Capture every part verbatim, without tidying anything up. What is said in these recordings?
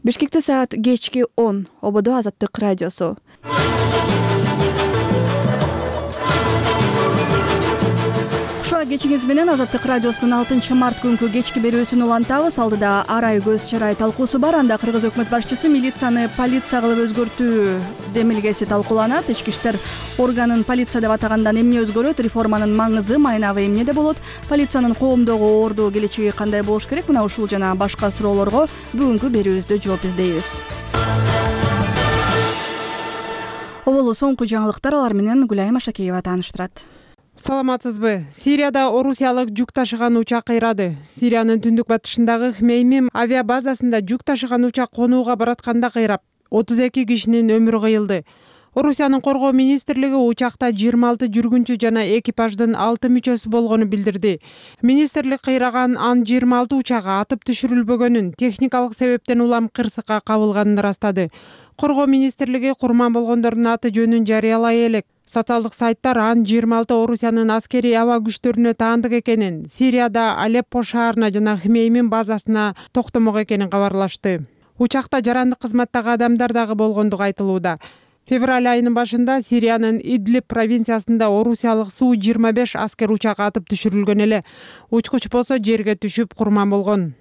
Бишкекте саат кечки он. Ободо Азаттык радиосу. Кечиңиз менен Азаттык радиосунун алтынчы март күнкү кечки берүүсүн улантабыз. Алдыда арай көз чарай талкуусу бар. Анда Кыргыз өкмөт башчысы милицияны полиция кылып өзгөртүү демилгеси талкууланат. Ички иштер органын полиция деп атагандан эмне өзгөрөт? Реформанын маңызы, майнабы эмнеде болот? Полициянын коомдогу орду келечеги кандай болуш керек? Мына ушул жана башка суроолорго бүгүнкү берүүбүздө жооп издейбиз. Оболу соңку жаңылыктар, алар менен Гүлайым Ашакеева тааныштырат. Саламатсызбы? Сирияда орусиялык жүк ташыган учак кыйрады. Сириянын түндүк батышындагы Хмеймим авиабазасында жүк ташыган учак конууга баратканда кыйрап, отуз эки кишинин өмүрү кыйылды. Орусиянын коргоо министрлиги учакта жыйырма алты жүргүнчү жана экипаждын алты мүчөсү болгону билдирди. Министрлик кыйраган Ан жыйырма алты учагы атып түшүрүлбөгөнүн, техникалык себептен улам кырсыкка кабылганын ырастады. Коргоо министрлиги курман болгондордун аты жөнүн жарыялай элек. Социалдык сайттар Ан жыйырма алты Орусиянын аскерий аба күчтөрүнө таандык экенин, Сирияда Алеппо шаарына жана Хмеймим базасына токтомок экенин кабарлашты. Учакта жарандык кызматтагы адамдар дагы болгондугу айтылууда. Февраль айынын башында Сириянын Идлиб провинциясында орусиялык Су жыйырма беш аскер учагы атып түшүрүлгөн эле. Учкуч болсо жерге түшүп курман болгон.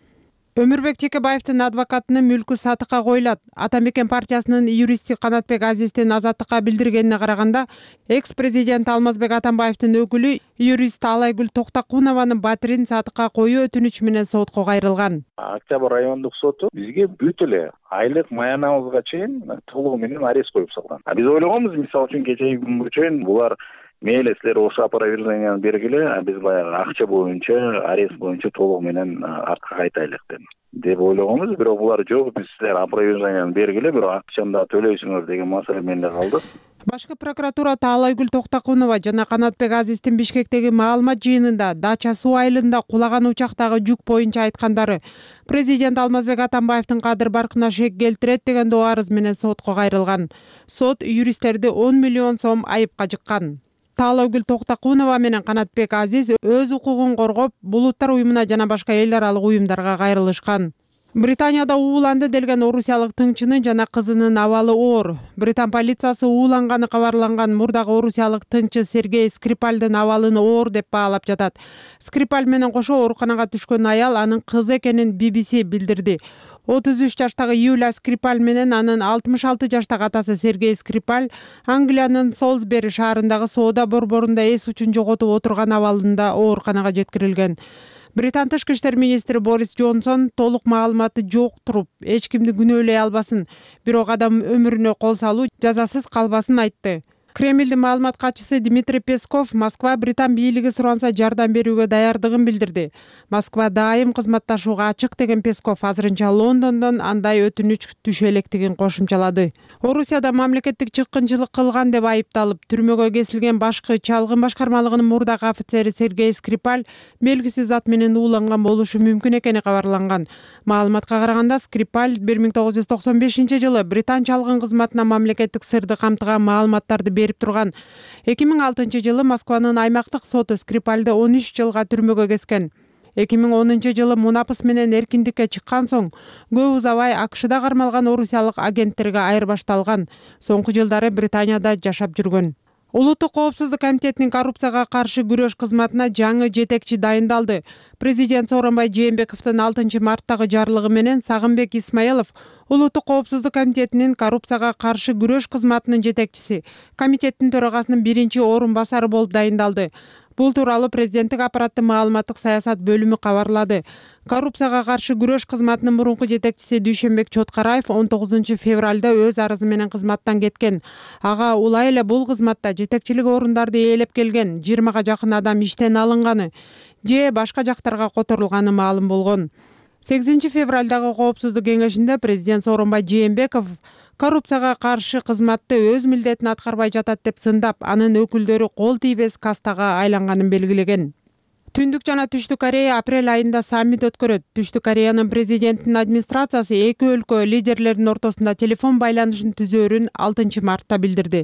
Өмүрбек Текебаевдин адвокатынын мүлкү сатыкка коюлат. Атамекен партиясынын юристи Канатбек Азиздин Азаттыкка билдиргенине караганда, экс-президент Алмазбек Атамбаевдин өкүлү юрист Алайгүл Токтакунованын батирин сатыкка коюу өтүнүчү менен сотко кайрылган. Октябрь райондук соту бизге бүт эле айлык маянабызга чейин толугу менен арест коюп салган. Биз ойлогонбуз, мисалы үчүн кечеги күнгө чейин булар мейли силер ошо опроверженияны бергиле, а биз баягы акча боюнча, арест боюнча толугу менен артка кайтайлык деп деп ойлогонбуз. Бирок булар жок, биз силер опроверженияны бергиле, бирок акчаны да төлөйсүңөр деген маселе менде калды. Башкы прокуратурада Алайгүл Токтакунова жана Канатбек Азиздин Бишкектеги маалымат жыйынында Дача суу айылында кулаган учактагы жүк боюнча айткандары президент Алмазбек Атамбаевдин кадыр баркына шек келтирет деген доо арыз менен сотко кайрылган. Сот юристтерди он миллион сом айыпка жыккан. Алайгүл Токтакунова менен Канатбек Азиз өз укугун коргоп, Булуттар уюмуна жана башка эл аралык уюмдарга кайрылышкан. Британияда ууланды делген орусиялык тыңчынын жана кызынын абалы оор. Британ полициясы ууланганы кабарланган мурдагы орусиялык тыңчы Сергей Скрипальдын абалын оор деп баалап жатат. Скрипаль менен кошо ооруканага түшкөн аял анын кызы экенин би би си билдирди. отуз үч жаштагы Юлия Скрипаль менен анын алтымыш алты жаштагы атасы Сергей Скрипаль Англиянын Солсбери шаарындагы соода борборунда эс учун жоготуп отурган абалында ооруканага жеткирилген. Британ тышкы иштер министри Борис Джонсон толук маалыматы жок туруп, эч кимди күнөөлөй албасын, бирок адам өмүрүнө кол салуу жазасыз калбасын айтты. Кремлдин маалымат катчысы Дмитрий Песков Москва Британ бийлиги суранса жардам берүүгө даярдыгын билдирди. Москва дайым кызматташууга ачык деген Песков азырынча Лондондон андай өтүнүч түшө электигин кошумчалады. Орусияда мамлекеттик чыккынчылык кылган деп айыпталып, түрмөгө кесилген башкы чалгын башкармалыгынын мурдагы офицери Сергей Скрипаль белгисиз зат менен ууланган болушу мүмкүн экени кабарланган. Маалыматка караганда Скрипаль бир миң тогуз жүз токсон бешинчи жылы Британ чалгын кызматына мамлекеттик сырды камтыган маалыматтарды берип турган. эки миң алтынчы жылы Москванын аймактык соту Скрипальды он үч жылга түрмөгө кескен. эки миң онунчу жылы мунапыс менен эркиндикке чыккан соң көп узабай АКШда кармалган орусиялык агенттерге айырбашталган. Соңку жылдары Британияда жашап жүргөн. Улуттук коопсуздук комитетинин коррупцияга каршы күрөш кызматына жаңы жетекчи дайындалды. Президент Сооронбай Жээнбековдун алтынчы марттагы жарлыгы менен Сагынбек Исмаилов Улуттук коопсуздук комитетинин коррупцияга каршы күрөш кызматынын жетекчиси, комитеттин төрагасынын биринчи орун басары болуп дайындалды. Бул тууралуу президенттик аппараттын маалыматтык саясат бөлүмү кабарлады. Коррупцияга каршы күрөш кызматынын мурунку жетекчиси Дүйшөнбек Чоткараев он тогузунчу февралда өз арызы менен кызматтан кеткен. Ага улай эле бул кызматта жетекчилик орундарды ээлеп келген жыйырмага жакын адам иштен алынганы же башка жактарга которулганы маалым болгон. сегизинчи февралдагы коопсуздук кеңешинде президент Сооронбай Жээнбеков коррупцияга каршы кызматты өз милдетин аткарбай жатат деп сындап, анын өкүлдөрү кол тийбес кастага айланганын белгилеген. Түндүк жана Түштүк Корея апрель айында саммит өткөрөт. Түштүк Кореянын президентинин администрациясы эки өлкө лидерлеринин ортосунда телефон байланышын түзөөрүн алтынчы мартта билдирди.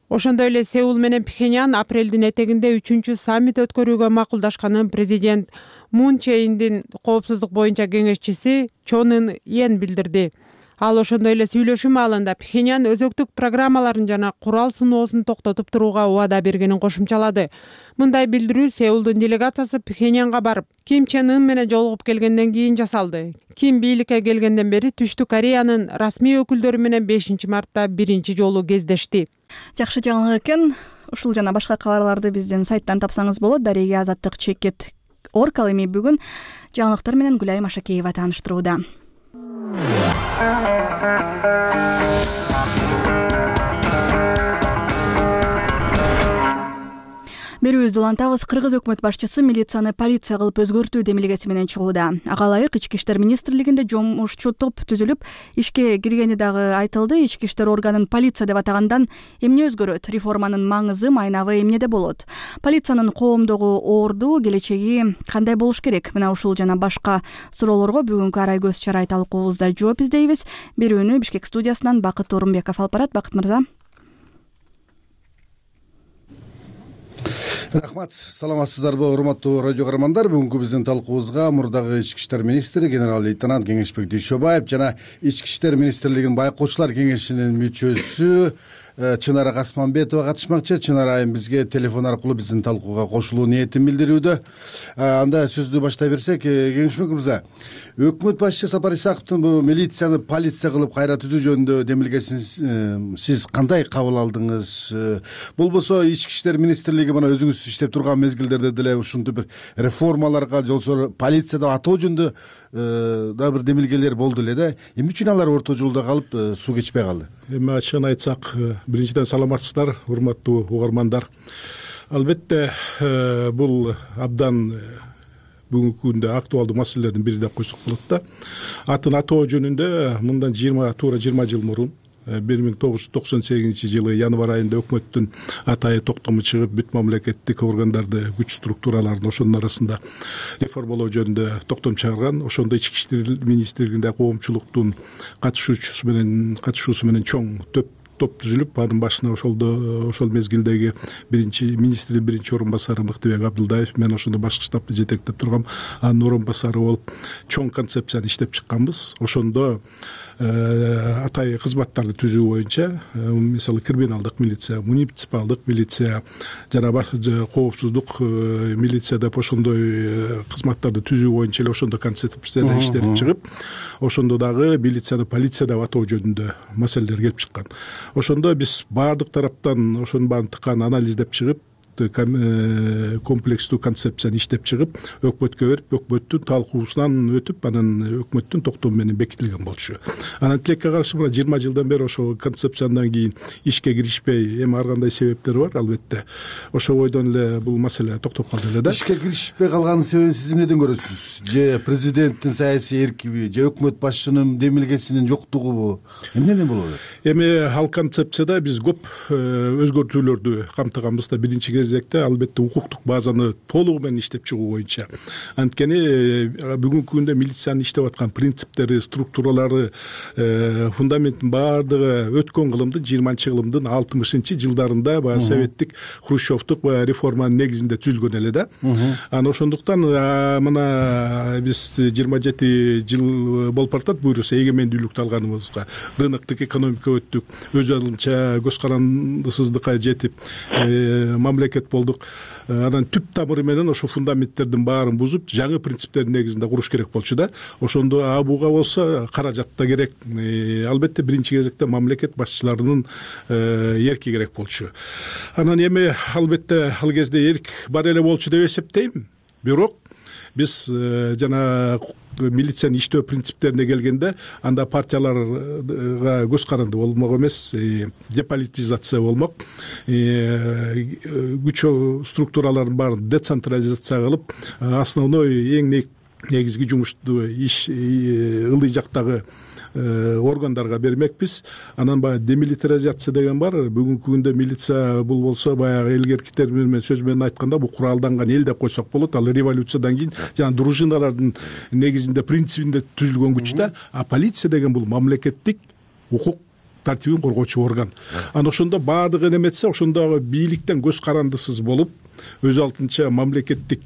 Ошондой эле Сеул менен Пхеньян апрелдин этегинде үчүнчү саммит өткөрүүгө макулдашканын президент Мун Чейиндин коопсуздук боюнча кеңешчиси Чон Ын Йен билдирди. Ал ошондой эле сүйлөшүү маалында Пхеньян өзөктүк программаларын жана курал сыноосун токтотуп турууга убада бергенин кошумчалады. Мындай билдирүү Сеулдун делегациясы Пхеньянга барып, Ким Чен Ын менен жолугуп келгенден кийин жасалды. Ким бийликке келгенден бери Түштүк Кореянын расмий өкүлдөрү менен бешинчи мартта биринчи жолу кездешти. Жакшы жаңылык экен. Ушул жана башка кабарларды биздин сайттан тапсаңыз болот. Дарега Азаттык чекет орг. Ал эми бүгүн жаңылыктар менен Гүлай Машакеева тааныштырууда. Берүүбүздү улантабыз. Кыргыз өкмөт башчысы милицияны полиция кылып өзгөртүү демилгеси менен чыгууда. Ага ылайык Ички иштер министрлигинде жумушчу топ түзүлүп, ишке киргени дагы айтылды. Ички иштер органын полиция деп атагандан эмне өзгөрөт? Реформанын маңызы, майнабы эмнеде болот? Полициянын коомдогу орду, келечеги кандай болуш керек? Мына ушул жана башка суроолорго бүгүнкү арай көз чарай талкуубузда жооп издейбиз. Берүүнү Бишкек студиясынан Бакыт Орунбеков алып барат. Бакыт мырза. Рахмат, саламатсыздарбы, урматтуу радио көрөрмандар. Бүгүнкү биздин талкуубузга мурдагы ички иштер министри генерал-лейтенант Кеңешбек Дүйшөбаев жана ички иштер министрлигинин байкоочулар кеңешинин мүчөсү Чынара Касманбетова катышмакчы. Чынара айым бизге телефон аркылуу биздин талкууга кошулуу ниетин билдирүүдө. Анда сөздү баштай берсек, Кеңешбек мырза, өкмөт башчысы Сапар Исаковдун бул милицияны полиция кылып кайра түзүү жөнүндө демилгесин сиз кандай кабыл алдыңыз? Болбосо ички иштер министрлиги мына өзүңүз иштеп турган мезгилдерде деле ушунтип бир реформаларга, жолсо полиция деп атоо жөнүндө да бир демилгелер болду эле да. Эмне үчүн алар орто жолдо калып, суу кечпей калды? Эми ачыгын айтсак, биринчиден саламатсыздар, урматтуу угармандар. Албетте бул абдан бүгүнкү күндө актуалдуу маселелердин бири деп койсок болот да. Атын атоо жөнүндө мындан жыйырма туура жыйырма жыл мурун бир миң тогуз жүз токсон сегизинчи жылы январь айында өкмөттүн атайы токтому чыгып, бүт мамлекеттик органдарды, күч структураларын ошонун арасында реформалоо жөнүндө токтом чыгарган. Ошондо ички иштер министрлигинде коомчулуктун катышуучусу менен катышуусу менен чоң топ топ түзүлүп, анын башына ошолдо ошол мезгилдеги биринчи министрдин биринчи орун басары Мыктыбек Абдылдаев, мен ошондо башкы штабты жетектеп тургам, анын орун басары болуп чоң концепцияны иштеп чыкканбыз. Ошондо атайы кызматтарды түзүү боюнча, мисалы криминалдык милиция, муниципалдык милиция жана коопсуздук милиция деп ошондой кызматтарды түзүү боюнча эле ошондо концепцияда иштелип чыгып, ошондо дагы милицияны полиция деп атоо жөнүндө маселелер келип чыккан. Ошондо биз баардык тараптан ошонун баарын тыккан анализдеп чыгып, комплекстүү концепцияны иштеп чыгып, өкмөткө берип, өкмөттүн талкуусунан өтүп, анан өкмөттүн токтому менен бекитилген болчу. Анан тилекке каршы мына жыйырма жылдан бери ошол концепциядан кийин ишке киришпей, эми ар кандай себептери бар, албетте. Ошол бойдон эле бул маселе токтоп калды эле да. Ишке киришпей калганын себебин сиз эмнеден көрөсүз? Же президенттин саясий эркиби, же өкмөт башчынын демилгесинин жоктугубу? Эмнеден болот? Эми ал концепцияда биз көп өзгөртүүлөрдү камтыганбыз да. Биринчи кезекте албетте укуктук базаны толугу менен иштеп чыгуу боюнча. Анткени бүгүнкү күндө милициянын иштеп аткан принциптери, структуралары, фундаментин баардыгы өткөн кылымдын жыйырманчы кылымдын алтымышынчы жылдарында баягы советтик хрущевдук баягы реформанын негизинде түзүлгөн эле да. Анан ошондуктан мына биз жыйырма жети жыл болуп баратат буюрса эгемендүүлүктү алганыбызга, рыноктук экономика өттүк, өз алдынча көз карандысыздыкка жетип, мамлекет болдук. Анан түп тамыры менен ошо фундаменттердин баарын бузуп, жаңы принциптердин негизинде куруш керек болчу да. Ошондо буга болсо каражат да керек. Албетте биринчи кезекте мамлекет башчыларынын эрки керек болчу. Анан эми албетте ал кезде эрк бар эле болчу деп эсептейм. Бирок биз жана милициянын иштөө принциптерине келгенде, анда партияларга көз каранды болмок эмес, деполитизация болмок, күч структураларын баарын децентрализация кылып, основной эң негизги жумушту иш ылдый жактагы органдарга бермекпиз. Анан баягы демилитаризация деген бар. Бүгүнкү күндө милиция бул болсо баягы элгерки термин менен сөз менен айтканда бул куралданган эл деп койсок болот. Ал революциядан кийин жана дружиналардын негизинде принцибинде түзүлгөн күч да. А полиция деген бул мамлекеттик укук тартибин коргоочу орган. Анан ошондо баардыгы неметсе, ошондогу бийликтен көз карандысыз болуп, өз алдынча мамлекеттик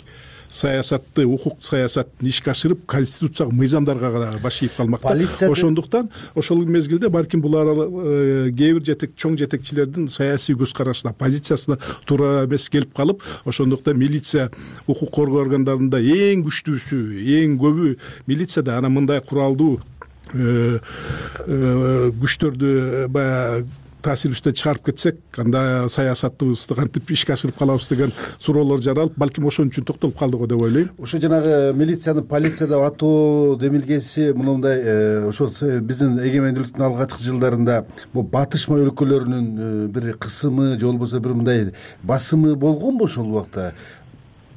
саясатты, укук саясатын ишке ашырып конституциялык мыйзамдарга гана баш ийип калмакта. Полиция Ошондуктан ошол мезгилде балким булар кээ бир жетек чоң жетекчилердин саясий көз карашына, позициясына туура эмес келип калып, ошондуктан милиция укук коргоо органдарында эң күчтүүсү, эң көбү милицияда анан мындай куралдуу күчтөрдү баягы таасирибизден чыгарып кетсек, анда саясатыбызды кантип ишке ашырып калабыз деген суроолор жаралып, балким ошон үчүн токтолуп калдык го деп ойлойм. Ошо жанагы милицияны полицияда атоо демилгеси мындай ошол биздин эгемендүүлүктүн алгачкы жылдарында бул батышма өлкөлөрүнүн бир кысымы же болбосо бир мындай басымы болгонбу ошол убакта?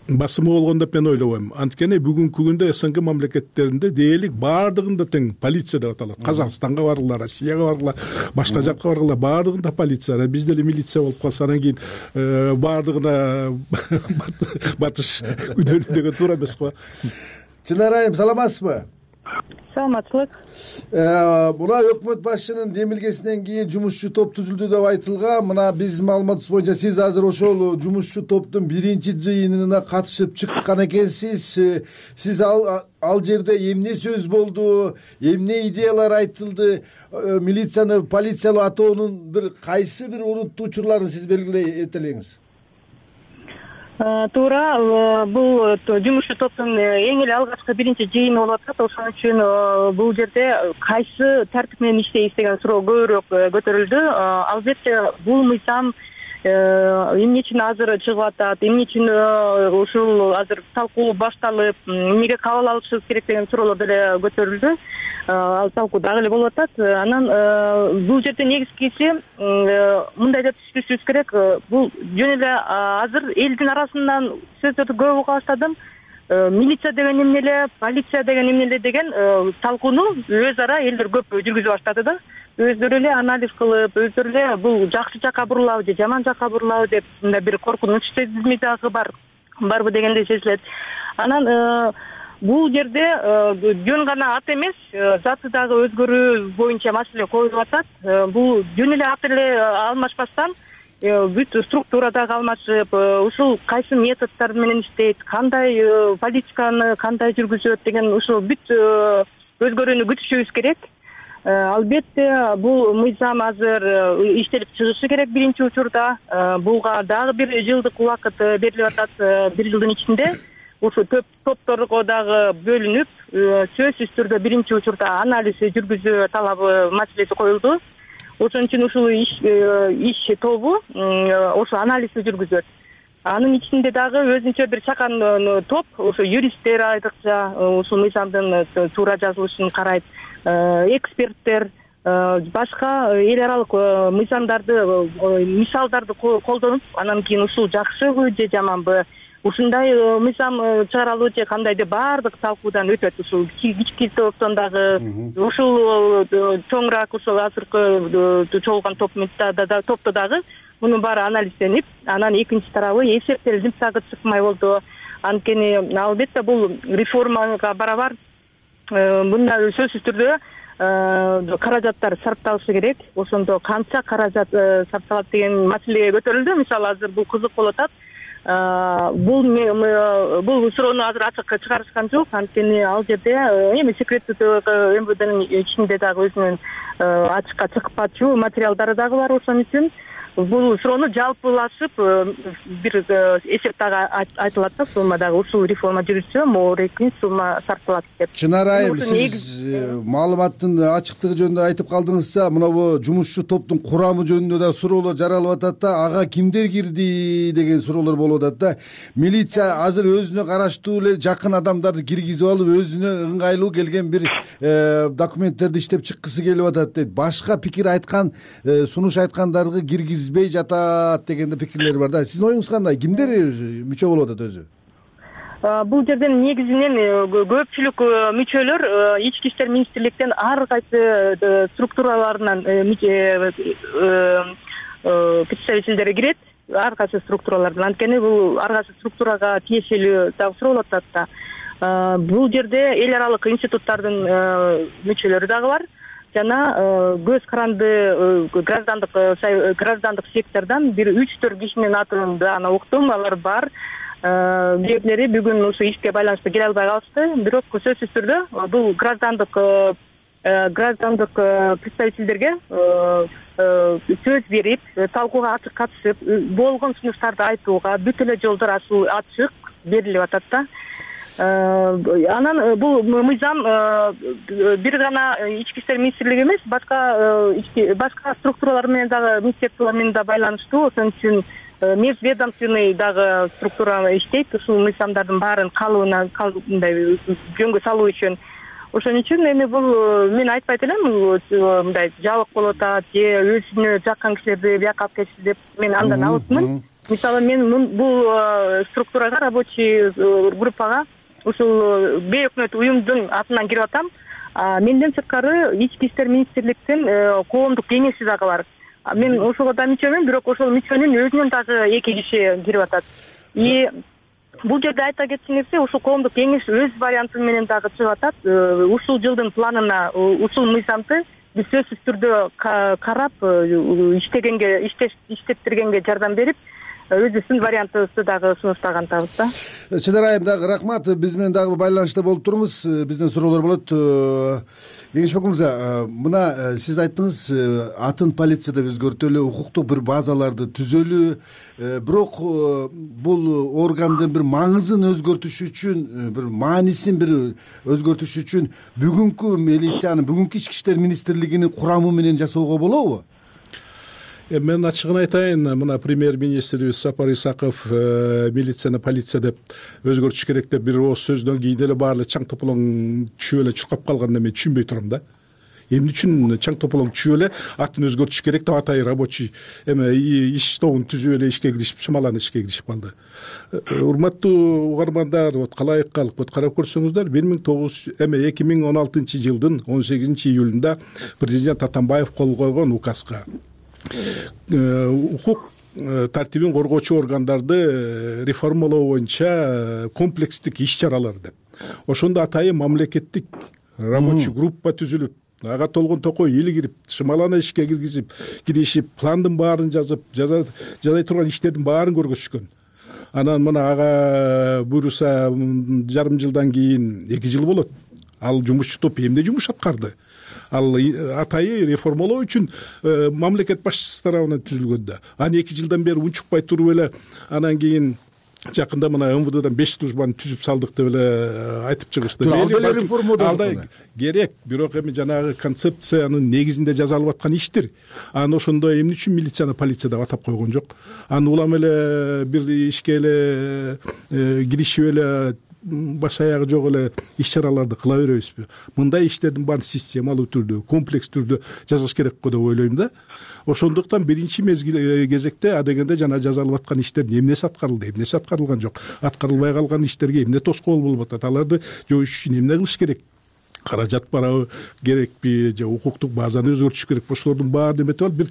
Басымы болгон деп мен ойлобойм. Анткени бүгүнкү күндө СНГ мамлекеттеринде дээрлик баардыгында тең полиция деп аталат. Казакстанга баргыла, Россияга баргыла, башка жакка баргыла, баардыгында полиция. Биз деле милиция болуп калса, анан кийин баардыгына батыш күдөлүү деген туура эмес го. Чынар айым, саламатсызбы? Саламатчылык. Мына өкмөт башчынын демилгесинен кийин жумушчу топ түзүлдү деп айтылган. Мына биздин маалыматыбыз боюнча сиз азыр ошол жумушчу топтун биринчи жыйынына катышып чыккан экенсиз. Сиз ал ал жерде эмне сөз болду, эмне идеялар айтылды? Милицияны полициялуу атоонун бир кайсы бир урунттуу учурларын сиз белгилей этелеңиз? Туура, бул жумушчу топтун эң эле алгачкы биринчи жыйыны болуп атат. Ошон үчүн бул жерде кайсы тартип менен иштейбиз деген суроо көбүрөөк көтөрүлдү. Албетте бул мыйзам эмне үчүн азыр чыгып атат, эмне үчүн ушул азыр талкуу башталып, эмнеге кабыл алышыбыз керек деген суроолор деле көтөрүлдү. Ал талкуу дагы эле болуп атат. Анан бул жерде негизгиси мындай деп түшүнүшүбүз керек. Бул жөн эле азыр элдин арасынан сөздөрдү көп уга баштадым. Милиция деген эмне эле, полиция деген эмне эле деген талкууну өз ара элдер көп жүргүзө баштады да. Өздөрү эле анализ кылып, өздөрү эле бул жакшы жакка бурулабы же жаман жакка бурулабы деп мындай бир коркунуч сезими дагы бар. Барбы дегенде сезилет. Анан бул жерде жөн гана ат эмес, заты дагы өзгөрүү боюнча маселе коюлуп атат. Бул жөн эле ат эле алмашпастан бүт структура дагы алмашып, ушул кайсы методдор менен иштейт, кандай политиканы кандай жүргүзөт деген ушул бүт өзгөрүүнү күтүшүбүз керек. Албетте бул мыйзам азыр иштелип чыгышы керек биринчи учурда. Буга дагы бир жылдык убакыт берилип атат, бир жылдын ичинде. Ушу топторго дагы бөлүнүп, сөзсүз түрдө биринчи учурда анализ жүргүзүү талабы маселеси коюлду. Ошон үчүн ушул иш иш тобу ошо анализди жүргүзөт. Анын ичинде дагы өзүнчө бир чакан топ, ошо юристтер айрыкча ушул мыйзамдын туура жазылышын карайт, эксперттер, башка эл аралык мыйзамдарды, мисалдарды колдонуп, анан кийин ушул жакшыбы же жаманбы, ушундай мыйзам чыгаралбы же кандай деп баардык талкуудан өтөт. Ушул кички топтон дагы, ушул чоңураак ушул азыркы чогулган топто дагы мунун баары анализденип, анан экинчи тарабы эсептелип дагы чыкмай болду. Анткени албетте бул реформага барабар мындай сөзсүз түрдө каражаттар сарпталышы керек. Ошондо канча каражат сарпталат деген маселе көтөрүлдү. Мисалы азыр бул кызык болуп атат. Бул бул суроону азыр ачыкка чыгарышкан жок. Анткени ал жерде эми секреттүү МВДнын ичинде дагы өзүнүн ачыкка чыкпачу материалдары дагы бар. Ошон үчүн бул суроону жалпылашып бир эсеп дагы айтылат да, сумма дагы ушул реформа жүрүшсө моорекин сумма сарпталат деп. Чынар айым, сиз маалыматтын ачыктыгы жөнүндө айтып калдыңызса, мына жумушчу топтун курамы жөнүндө да суроолор жаралып атат да, ага кимдер кирди деген суроолор болуп атат да. Милиция азыр өзүнө караштуу эле жакын адамдарды киргизип алып, өзүнө ыңгайлуу келген бир документтерди иштеп чыккысы келип атат дейт. Башка пикир айткан, сунуш айткандарды киргиз бей жатат дегенде пикирлер бар да. Сиздин оюңуз кандай? Кимдер мүчө болуп атат өзү? Бул жерден негизинен көпчүлүк мүчөлөр ички иштер министрликтен ар кайсы структураларынан представительдери кирет, ар кайсы структуралардан. Анткени бул ар кайсы структурага тиешелүү дагы суроолуп атат да. Бул жерде эл аралык институттардын мүчөлөрү дагы бар. Жана көз каранды граждандык граждандык сектордон бир үч төрт кишинин атын аны уктум, алар бар. кээрлери бүгүн ушу ишке байланыштуу келе албай калышты. Бирок сөзсүз түрдө бул граждандык граждандык представительдерге сөз берип, талкууга ачык катышып, болгон сунуштарды айтууга бүт эле жолдор ачык берилип атат да. Анан бул мыйзам бир гана ички иштер министрлиги эмес, башка башка структуралар менен дагы, министрликтер менен да байланыштуу. Ошон үчүн межведомственный дагы структура иштейт ушул мыйзамдардын баарын калыбына мындай жөнгө салуу үчүн. Ошон үчүн эми бул мен айтпайт элем мындай жабык болуп атат же өзүнө жаккан кишилерди бияка алып кетишти деп мен андан алысмын. Мисалы мен бул структурага, рабочий группага ушул бейөкмөт уюмдун атынан кирип атам. Менден сырткары ички иштер министрликтин коомдук кеңеши дагы бар. Мен ошого да мүчөмүн, бирок ошол мүчөнүн өзүнөн дагы эки киши кирип атат. И бул жерде айта кетчү нерсе, ушул коомдук кеңеш өз варианты менен дагы чыгып атат. Ушул жылдын планына ушул мыйзамды биз сөзсүз түрдө карап, иштегенге, иштеттиргенге жардам берип, өзүбүздүн вариантыбызды дагы сунуштагантабыз да. Чынар айым дагы рахмат. Биз менен дагы байланышта болуп туруңуз. Бизден суроолор болот. Кеңешбек мырза, мына сиз айттыңыз, атын полицияда өзгөртөлү, укуктук бир базаларды түзөлү. Бирок бул органдын бир маңызын өзгөртүш үчүн, бир маанисин бир өзгөртүш үчүн бүгүнкү милициянын, бүгүнкү ички иштер министрлигинин курамы менен жасоого болобу? Мен ачыгын айтайын, мына премьер-министрибиз Сапар Исаков милицияны полиция деп өзгөртүш керек деп бир ооз сөздөн кийин эле баары эле чаң тополоң түшүп эле чуркап калганда мен түшүнбөй турам да. Эмне үчүн чаң тополоң түшүп эле атын өзгөртүш керек деп атай рабочий эме иш тобун түзүп эле ишке киришип, шамалан ишке киришип калды. Урматтуу угармандар, вот калайык калык, вот карап көрсөңүздөр, бир миң тогуз жүз эме эки миң он алтынчы жылдын он сегизинчи июлунда президент Атамбаев кол койгон указга укук тартибин коргоочу органдарды реформалоо боюнча комплекстик иш чаралар деп. Ошондо атайын мамлекеттик рабочий группа түзүлүп, ага толгон токой эл кирип, шымалана ишке киргизип, киришип, пландын баарын жазып, жазай турган иштердин баарын көргөзүшкөн. Анан мына ага буйруса жарым жылдан кийин эки жыл болот. Ал жумушчу топ эмне жумуш аткарды? Ал атайы реформалоо үчүн мамлекет башчысы тарабынан түзүлгөн да. Аны эки жылдан бери унчукпай туруп эле анан кийин жакында мына эм вэ дэден беш службаны түзүп салдык деп эле айтып чыгышты. Ал деле реформа керек, бирок эми жанагы концепциянын негизинде жасалып аткан иштер. Аны ошондо эмне үчүн милицияны полиция деп атап койгон жок. Аны улам эле бир ишке эле киришип эле баш аягы жок эле иш чараларды кыла беребизби? Мындай иштердин баарын системалуу түрдө, комплекс түрдө жасаш керек го деп ойлойм да. Ошондуктан биринчи мезгил кезекте адегенде жана жасалып аткан иштердин эмнеси аткарылды, эмнеси аткарылган жок, аткарылбай калган иштерге эмне тоскоол болуп атат, аларды жоюш үчүн эмне кылыш керек? Каражат барабы, керекпи, же укуктук базаны өзгөртүш керекпи? Ошолордун баары эметип алып бир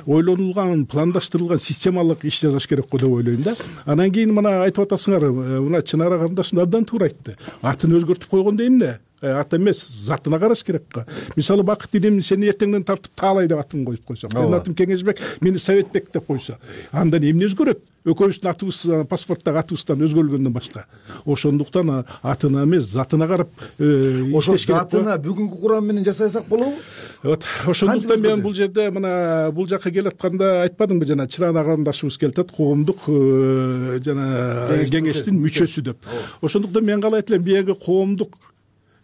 ойлонулган, пландаштырылган системалык иш жасаш керек го деп ойлойм да. Анан кийин мына айтып атасыңар, мына Чынара карындашым абдан туура айтты. Атын өзгөртүп койгондо эмне? Ат эмес, затына караш керек го. Мисалы Бакыт Идем сени эртеңден тартып таалай деп атын коюп койсо, менин атым Кеңешбек, мени Советбек деп койсо, анда эмне өзгөрөт? Экөөбүздүн атыбыз паспорттогу атыбыздан өзгөрүлгөндөн башка. Ошондуктан атына эмес, затына карап иштеш керек. Ошо затына бүгүнкү курам менен жасасак болобу? Вот ошондуктан мен бул жерде мына бул жака келатканда айтпадымбы, жана Чынара карындашыбыз келатат, коомдук жана кеңештин мүчөсү деп. Ошондуктан мен каалайт элем, бияги коомдук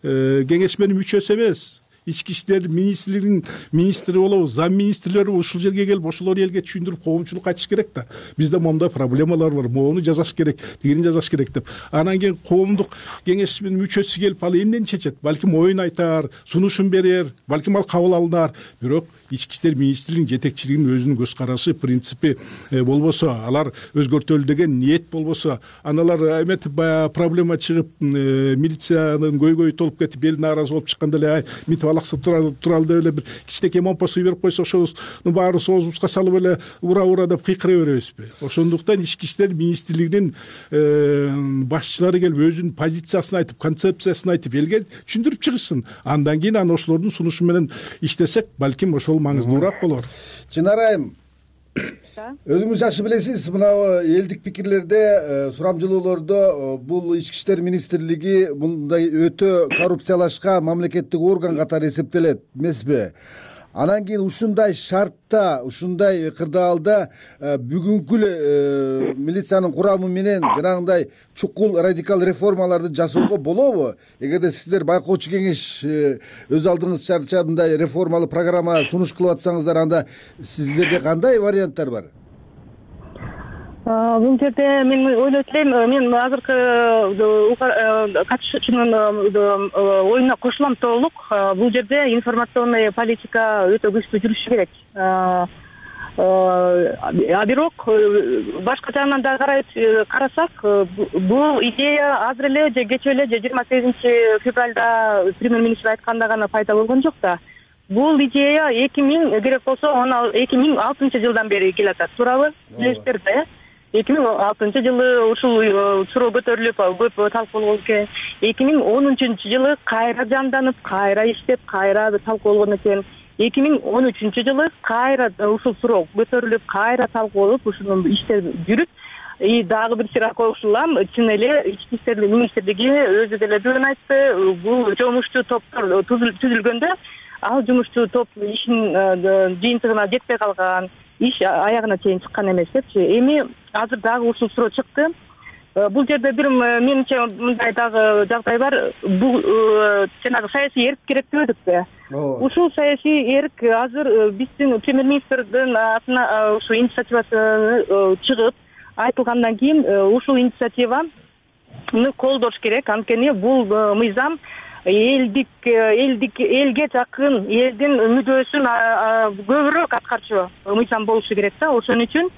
кеңеш менин мүчөсү эмес, ички иштер министрлигинин министри болобу, зам министрлери ушул жерге келип, ошолор элге түшүндүрүп, коомчулукка айтыш керек да. Бизде моундай проблемалар бар, моуну жасаш керек, тигини жасаш керек деп. Анан кийин коомдук кеңеш менин мүчөсү келип, ал эмнени чечет? Балким оюн айтар, сунушун берер, балким ал кабыл алынар. Бирок ички иштер министрлигинин жетекчилигинин өзүнүн көз карашы, принципи болбосо, алар өзгөртөлү деген ниет болбосо, аналар эметип баягы проблема чыгып, милициянын көйгөйү толуп кетип, эл нааразы болуп чыкканда эле митип алаксып туралы деп эле бир кичинекей момпосу берип койсо, ошонун баарын соозубузга салып эле ура ура деп кыйкыра беребизби? Ошондуктан ички иштер министрлигинин башчылары келип өзүнүн позициясын айтып, концепциясын айтып, элге түшүндүрүп чыгышсын. Андан кийин аны ошолордун сунушу менен иштесек, балким ошол маңыздуураак болор. Чынар айым, өзүңүз жакшы билесиз, мына элдик пикирлерде, сурамжылоолордо бул ички иштер министрлиги мындай өтө коррупциялашкан мамлекеттик орган катары эсептелет эмеспи? Анан кийин ушундай шартта, ушундай кырдаалда бүгүнкү эле милициянын курамы менен жанагындай чукул радикал реформаларды жасоого болобу? Эгерде сиздер байкоочу кеңеш өз алдыңызча мындай реформалык программа сунуш кылып атсаңыздар, анда сиздерде кандай варианттар бар? Бул жерде мен ойлойт элем, мен азыркы катышуучунун оюна кошулам толук. Бул жерде информационный политика өтө күчтүү жүрүшү керек. А бирок башка жагынан да карасак, бул идея азыр эле же кечээ эле же жыйырма сегизинчи февралда премьер-министр айтканда гана пайда болгон жок да. Бул идея эки миң керек болсо эки миң алтынчы жылдан бери келатат, туурабы? Билесиздер да, эки миң алтынчы жылы ушул суроо көтөрүлүп көп талкууланган экен. эки миң он үчүнчү жылы кайра жанданып, кайра иштеп, кайра талкууланган экен. эки миң он үчүнчү жылы кайра ушул суроо көтөрүлүп, кайра талкууланып, ушуну иштер жүрүп, и дагы бир сыйра кошулам, чын эле ички иштер министрлиги өзү деле бүгүн айтты, бул жумушчу топтор түзүлгөндө ал жумушчу топ ишин жыйынтыгына жетпей калган, иш аягына чейин чыккан эмес депчи. Эми азыр дагы ушул суроо чыкты. Бул жерде бир менимче мындай дагы жагдай бар. Бул жанагы саясий эрк керек деп өтүппү. Ушул саясий эрк азыр биздин премьер-министрдин атына ушу инициативасы чыгып айтылгандан кийин ушул инициативаны колдош керек. Анткени бул мыйзам элдик элдик элге жакын, элдин мүдөөсүн көбүрөөк аткарчу мыйзам болушу керек да. Ошон үчүн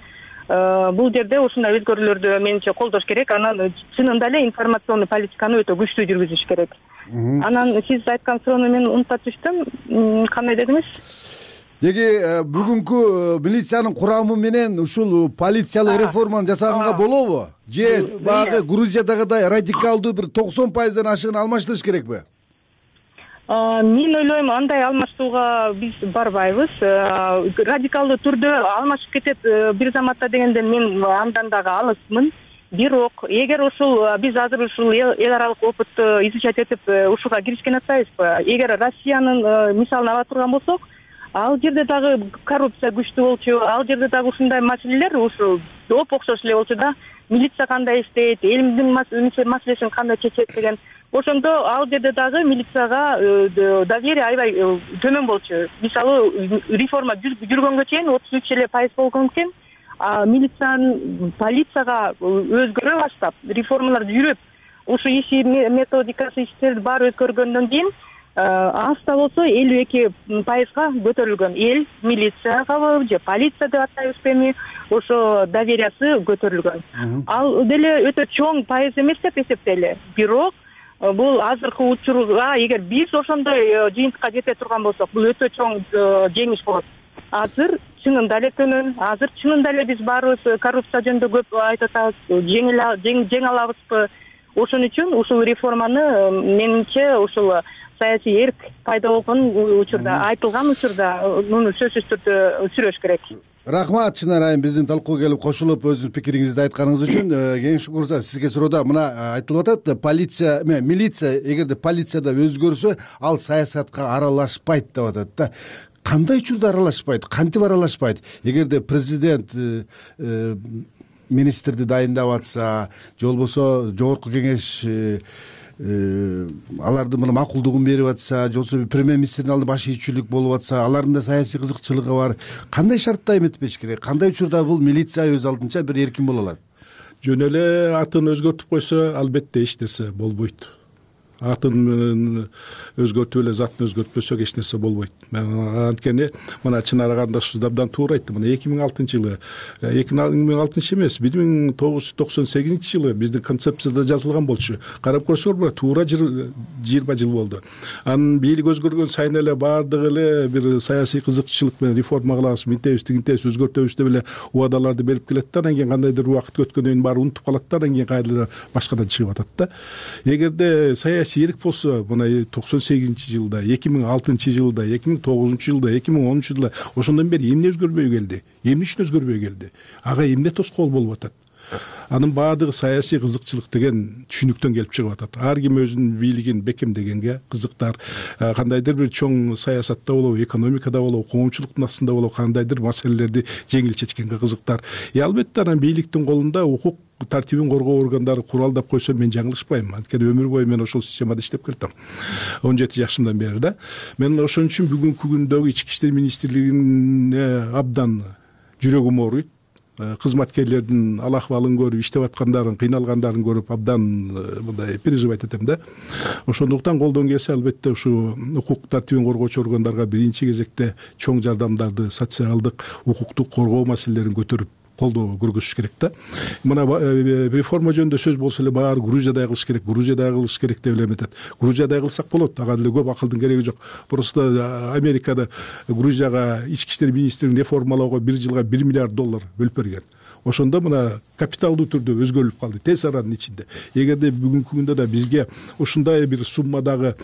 бул жерде ушундай өзгөрүүлөрдү менимче колдош керек. Анан чынында эле информационный политиканы өтө күчтүү жүргүзүш керек. Анан сиз айткан суроону мен унутуп түштүм. Кандай дедиңиз? Деги бүгүнкү милициянын курамы менен ушул полициялык реформаны жасаганга болобу? Же баягы Грузиядагыдай радикалдуу бир токсон пайыздан ашыгын алмаштырыш керекпи? Мен ойлойм, андай алмаштууга биз барбайбыз. Радикалдуу түрдө алмашып кетет бир заматта дегенде мен андан дагы алысмын. Бирок эгер ушул биз азыр ушул эл аралык опытты изучать этип ушуга киришкен атпайбызбы? Эгер Россиянын мисалын ала турган болсок, ал жерде дагы коррупция күчтүү болчу, ал жерде дагы ушундай маселелер ушу доп окшош эле болчу да. Милиция кандай иштейт, элдин маселесин кандай чечет деген. Ошондо ал жерде дагы милицияга доверие аябай төмөн болчу. Мисалы реформа жүргөнгө чейин отуз үч эле пайыз болгон экен. А милициянын полицияга өзгөрө баштап, реформалар жүрүп, ушу иши методикасы иштерди баары өзгөргөндөн кийин аста болсо элүү эки пайызга көтөрүлгөн. Эл милицияга же полиция деп атайбызбы эми, ошо довериясы көтөрүлгөн. Ал деле өтө чоң пайыз эмес деп эсептейли. Бирок бул азыркы учурга эгер биз ошондой жыйынтыкка жете турган болсок, бул өтө чоң жеңиш болот. Азыр чынында эле төмөн, азыр чынында эле биз баарыбыз коррупция жөнүндө көп айтып атабыз, жеңе алабызбы? Ошон үчүн ушул реформаны менимче ушул саясий эрк пайда болгон учурда, айтылган учурда муну сөзсүз түрдө сүрөш керек. Рахмат, Чынар айым, биздин талкууга келип кошулуп өзүңүздүн пикириңизди айтканыңыз үчүн. Кеңеш мырза, сизге суроода мына айтылып атат, полиция, милиция эгерде полицияда өзгөрсө, ал саясатка аралашпайт деп атат да. Кандай учурда аралашпайт? Кантип аралашпайт? Эгерде президент министрди дайындап атса, же болбосо жогорку кеңеш алардын мына макулдугун берип атса, же болбосо премьер-министрдин алдында баш ийүүчүлүк болуп атса, алардын да саясий кызыкчылыгы бар. Кандай шартта эметпеш керек? Кандай учурда бул милиция өз алдынча бир эркин боло алат? Жөн эле атын өзгөртүп койсо, албетте эч нерсе болбойт. Атын өзгөртүп эле затын өзгөртпөсөк эч нерсе болбойт. Анткени мына Чынар кандашыбыз абдан туура айтты. Мына эки миң алтынчы жылы, эки миң алтынчы эмес, бир миң тогуз жүз токсон сегизинчи жылы биздин концепцияда жазылган болчу. Карап көрсөңөр, туура жыйырма жыл болду. Анын бийлик өзгөргөн сайын эле баардыгы эле бир саясий кызыкчылык менен реформа кылабыз, мынтебиз, тигинтебиз, өзгөртөбүз деп эле убадаларды берип келет да, анан кийин кандайдыр убакыт өткөндөн кийин баары унутуп калат да, анан кийин кайра башкадан чыгып атат да. Эгерде саясий нерсе керек болсо мына токсон сегизинчи жылда, эки миң алтынчы жылда, эки миң тогузунчу жылда, эки миң онунчу жылда ошондон бери эмне өзгөрбөй келди, эмне үчүн өзгөрбөй келди, ага эмне тоскоол болуп атат? Анын баардыгы саясий кызыкчылык деген түшүнүктөн келип чыгып атат. Ар ким өзүнүн бийлигин бекемдегенге кызыктар, кандайдыр бир чоң саясатта болобу, экономикада болобу, коомчулуктун астында болобу кандайдыр маселелерди жеңил чечкенге кызыктар. И албетте анан бийликтин колунда укук тартибин коргоо органдары куралдап койсо мен жаңылышпайм. Анткени өмүр бою мен ошол системада иштеп келдим. он жети жашымдан бери да. Мен ошон үчүн бүгүнкү күндөгү Ички иштер министрлигине абдан жүрөгүм ооруйт. Кызматкерлердин ал акыбалын көрүп, иштеп аткандарын, кыйналгандарын көрүп абдан мындай переживать этем да. Ошондуктан колдон келсе албетте ушу укук тартибин коргоочу органдарга биринчи кезекте чоң жардамдарды, социалдык, укуктук коргоо маселелерин көтөрүп колдоо көргөзүш керек да. Мына реформа жөнүндө сөз болсо эле баары Грузиядай кылыш керек, Грузиядай кылыш керек деп эле эметет. Грузиядай кылсак болот, ага деле көп акылдын кереги жок. Просто Америкада Грузияга ички иштер министрин реформалоого бир жылга бир миллиард доллар бөлүп берген. Ошондо мына капиталдуу түрдө өзгөрүлүп калды тез аранын ичинде. Эгерде бүгүнкү күндө да бизге ушундай бир суммадагы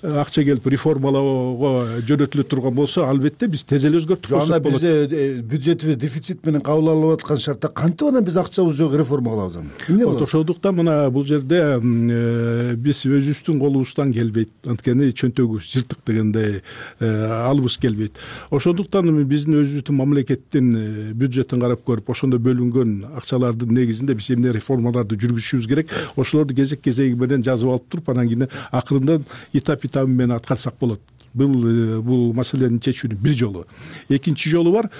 акча келип реформалоого жөнөтүлө турган болсо, албетте биз тез эле өзгөртүп койсок болот. Бизде бюджетибиз дефицит менен кабыл алып аткан шартта кантип анан биз акчабыз жок реформа кылабыз аны? Эмне болот? Ошондуктан мына бул жерде биз өзүбүздүн колубуздан келбейт. Анткени чөнтөгүбүз жыртык дегендей алыбыз келбейт. Ошондуктан биздин өзүбүздүн мамлекеттин бюджетин карап көрүп, ошондо бөлүнгөн акчалардын негизинде биз эмне реформаларды жүргүзүшүбүз керек, ошолорду кезек кезеги менен жазып алып туруп, анан кийин акырында этап этабы менен аткарсак болот. Бул бул маселени чечүүнүн бир жолу. Экинчи жолу бар.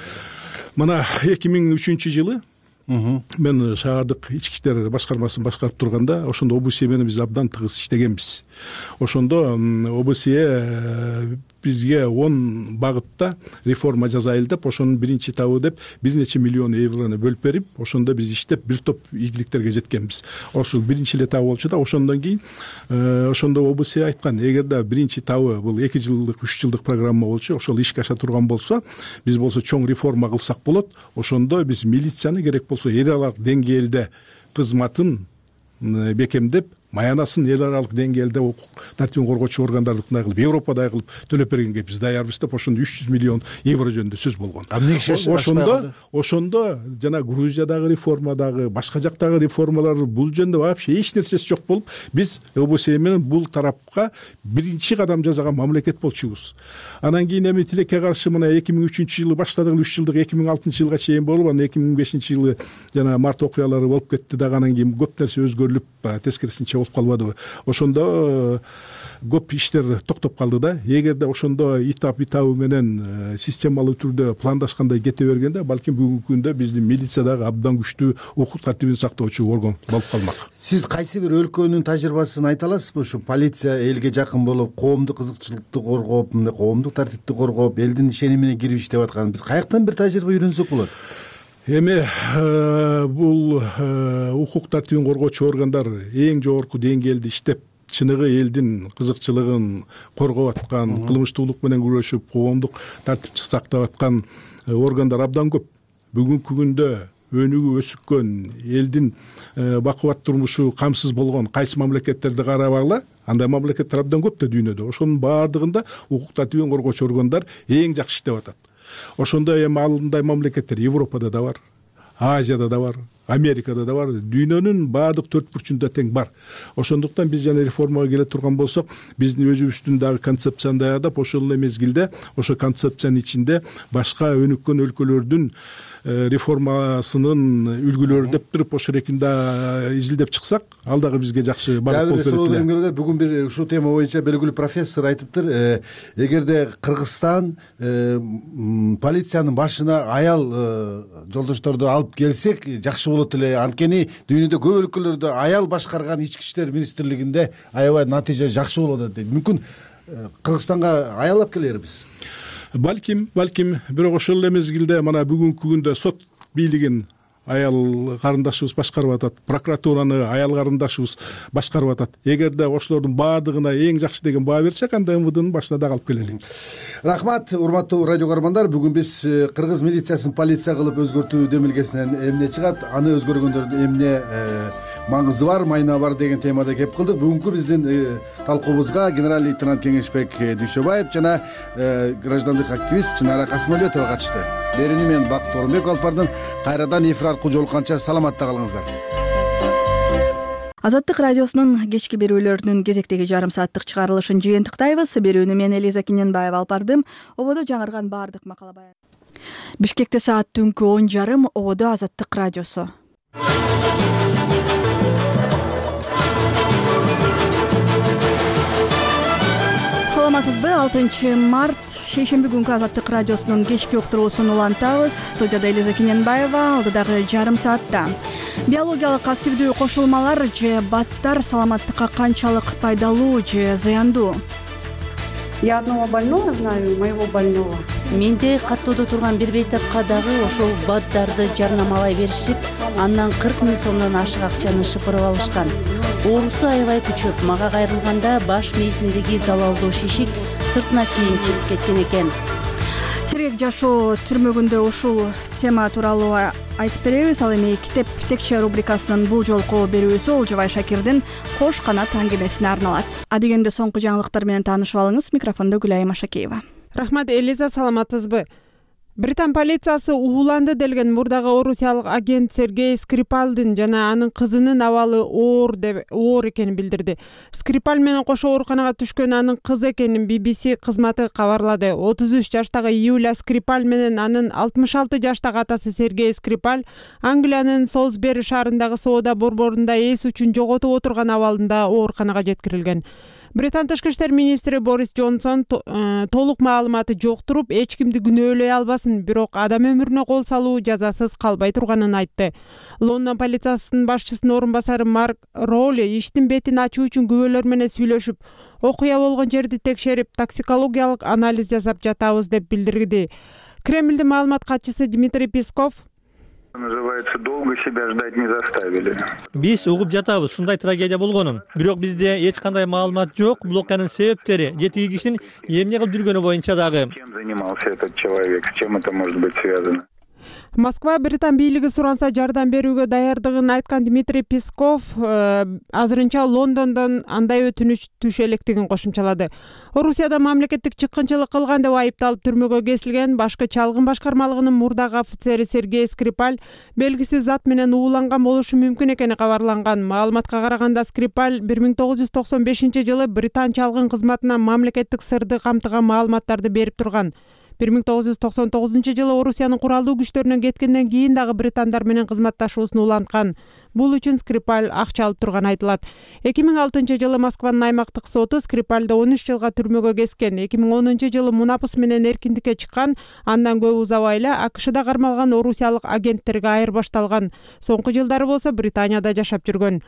Мына эки миң үчүнчү жылы мен шаардык ички иштер башкармасын башкарып турганда, ошондо ОБСЕ менен биз абдан тыгыз иштегенбиз. Ошондо ОБСЕ бизге он багытта реформа жасайлы деп, ошонун биринчи этабы деп бир нече миллион еврону бөлүп берип, ошондо биз иштеп бир топ ийгиликтерге жеткенбиз. Ошол биринчи этабы болчу да, ошондон кийин ошондо ОБСЕ айткан, эгерде биринчи этабы бул эки жылдык, үч жылдык программа болчу, ошол ишке аша турган болсо, биз болсо чоң реформа кылсак болот. Ошондо биз милицияны керек болсо эл аралык деңгээлде кызматын бекемдеп, маянасын эл аралык деңгээлде укук тартибин коргоочу органдардыкындай кылып, Европадай кылып төлөп бергенге биз даярбыз деп, ошондо үч жүз миллион евро жөнүндө сөз болгон. Ошондо ошондо жана Грузиядагы реформадагы, башка жактагы реформалар бул жөнүндө вообще эч нерсеси жок болуп, биз ОБСЕ менен бул тарапка биринчи кадам жасаган мамлекет болчубуз. Анан кийин эми тилекке каршы мына эки миң үчүнчү жылы баштадык, үч жылдык эки миң алтынчы жылга чейин болуп, анан эки миң бешинчи жылы жана март окуялары болуп кетти дагы, анан кийин көп нерсе өзгөрүлүп, тескерисинче болуп калбадыбы. Ошондо көп иштер токтоп калды да. Эгерде ошондо этап этабы менен системалуу түрдө пландашкандай кете бергенде, балким бүгүнкү күндө биздин милициядагы абдан күчтүү укук тартибин сактоочу орган болуп калмак. Сиз кайсы бир өлкөнүн тажрыйбасын айта аласызбы? Ушу полиция элге жакын болуп, коомдук кызыкчылыкты коргоп, мындай коомдук тартипти коргоп, элдин ишенимине кирип иштеп аткан биз каяктан бир тажрыйба үйрөнсөк болот? Эми бул укук тартибин коргоочу органдар эң жогорку деңгээлде иштеп, чыныгы элдин кызыкчылыгын коргоп аткан, кылмыштуулук менен күрөшүп, коомдук тартипти сактап аткан органдар абдан көп. Бүгүнкү күндө өнүгүп өсүккөн, элдин бакубат турмушу камсыз болгон кайсы мамлекеттерди карабагыла, андай мамлекеттер абдан көп да дүйнөдө. Ошонун баардыгында укук тартибин коргоочу органдар эң жакшы иштеп атат. Ошондо эми андай мамлекеттер Европада да бар, Азияда да бар, Америкада да бар, дүйнөнүн баардык төрт бурчунда тең бар. Ошондуктан биз жана реформага келе турган болсок, биздин өзүбүздүн дагы концепцияны даярдап, ошол эле мезгилде ошо концепциянын ичинде башка өнүккөн өлкөлөрдүн реформасынын үлгүлөрү деп туруп, ошол эркинде изилдеп чыксак, ал дагы бизге жакшы багыт болуп берет эле. Бүгүн бир ушул тема боюнча белгилүү профессор айтыптыр, эгерде Кыргызстан полициянын башына аял жолдошторду алып келсек жакшы болот эле. Анткени дүйнөдө көп өлкөлөрдө аял башкарган ички иштер министрлигинде аябай натыйжа жакшы болуп атат дейт. Мүмкүн Кыргызстанга аял алып келербиз? Балким, балким, бирок ошол эле мезгилде мына бүгүнкү күндө сот бийлигин аял карындашыбыз башкарып атат, прокуратураны аял карындашыбыз башкарып атат. Эгерде ошолордун баардыгына эң жакшы деген баа берсек, анда МВДнын башына дагы алып келели. Рахмат, урматтуу радио көрөрмандар. Бүгүн биз кыргыз милициясын полиция кылып өзгөртүү демилгесинен эмне чыгат, аны өзгөргөндөрдүн эмне маңызы бар, майна бар деген темада кеп кылдык. Бүгүнкү биздин талкуубузга генерал лейтенант Кеңешбек Дүйшөбаев жана граждандык активист Чынара Касымөлөтова катышты. Берүүнү мен Бакыт Орунбеков алып бардым. Кайрадан эфир аркылуу жолукканча саламатта калыңыздар. Азаттык радиосунун кечки берүүлөрүнүн кезектеги жарым сааттык чыгарылышын жыйынтыктайбыз. Берүүнү мен Элиза Киненбаева алып бардым. Ободо жаңырган баардык макала баян. Бишкекте саат түнкү он жарым. Ободо Азаттык радиосу. Саламатсызбы? алтынчы март шейшемби күнкү Азаттык радиосунун кечки уктуруусун улантабыз. Студияда Элиза Киненбаева. Алдыдагы жарым саатта биологиялык активдүү кошулмалар же баттар саламаттыкка канчалык пайдалуу же зыяндуу? Я одного больного знаю, моего больного. Менде каттоодо турган бир бейтапка дагы ошол баттарды жарнамалай беришип, андан кырк миң сомдон ашык акчаны шыпырып алышкан. Оорусу аябай күчөп, мага кайрылганда баш мээсиндеги залалдуу шишик сыртына чейин чыгып кеткен экен. Сирек жашоо түрмөгүндө ушул тема тууралуу айтып беребиз. Ал эми китеп текче рубрикасынын бул жолку берүүсү Олжобай Шакирдин Кош канат аңгемесине арналат. Адегенде соңку жаңылыктар менен таанышып алыңыз. Микрофондо Гүлайым Ашакеева. Рахмат, Элиза, саламатсызбы? Британ полициясы ууланды делген мурдагы орусиялык агент Сергей Скрипалдын жана анын кызынын абалы оор деп оор экенин билдирди. Скрипаль менен кошо ооруканага түшкөн анын кызы экенин би би си кызматы кабарлады. отуз үч жаштагы Юлия Скрипаль менен анын алтымыш алты жаштагы атасы Сергей Скрипаль Англиянын Солсбери шаарындагы соода борборунда эс үчүн жоготуп отурган абалында ооруканага жеткирилген. Британ тышкы иштер министри Борис Джонсон толук маалыматы жок туруп, эч кимди күнөөлөй албасын, бирок адам өмүрүнө кол салуу жазасыз калбай турганын айтты. Лондон полициясынын башчысынын орун басары Марк Роули иштин бетин ачуу үчүн күбөлөр менен сүйлөшүп, окуя болгон жерди текшерип, токсикологиялык анализ жасап жатабыз деп билдирди. Кремлдин маалымат катчысы Дмитрий Песков Называется, долго себя ждать не заставили. Биз угуп жатабыз, ушундай трагедия болгонун. Бирок бизде эч кандай маалымат жок. Бул окуянын себептери же тиги кишинин эмне кылып жүргөнү боюнча дагы. Чем занимался этот человек, с чем это может быть связано? Москва Британ бийлиги суранса жардам берүүгө даярдыгын айткан Дмитрий Песков азырынча Лондондон андай өтүнүч түшө электигин кошумчалады. Орусияда мамлекеттик чыккынчылык кылган деп айыпталып түрмөгө кесилген башкы чалгын башкармалыгынын мурдагы офицери Сергей Скрипаль белгисиз зат менен ууланган болушу мүмкүн экени кабарланган. Маалыматка караганда Скрипаль бир миң тогуз жүз токсон бешинчи жылы Британ чалгын кызматына мамлекеттик сырды камтыган маалыматтарды берип турган. бир миң тогуз жүз токсон тогузунчу жылы Орусиянын куралдуу күчтөрүнөн кеткенден кийин дагы британдар менен кызматташуусун уланткан. Бул үчүн Скрипаль акча алып турган айтылат. эки миң алтынчы жылы Москванын аймактык соту Скрипальды он үч жылга түрмөгө кескен. эки миң онунчу жылы мунапыс менен эркиндикке чыккан, андан көп узабай эле АКШда кармалган орусиялык агенттерге айырбашталган. Соңку жылдары болсо Британияда жашап жүргөн.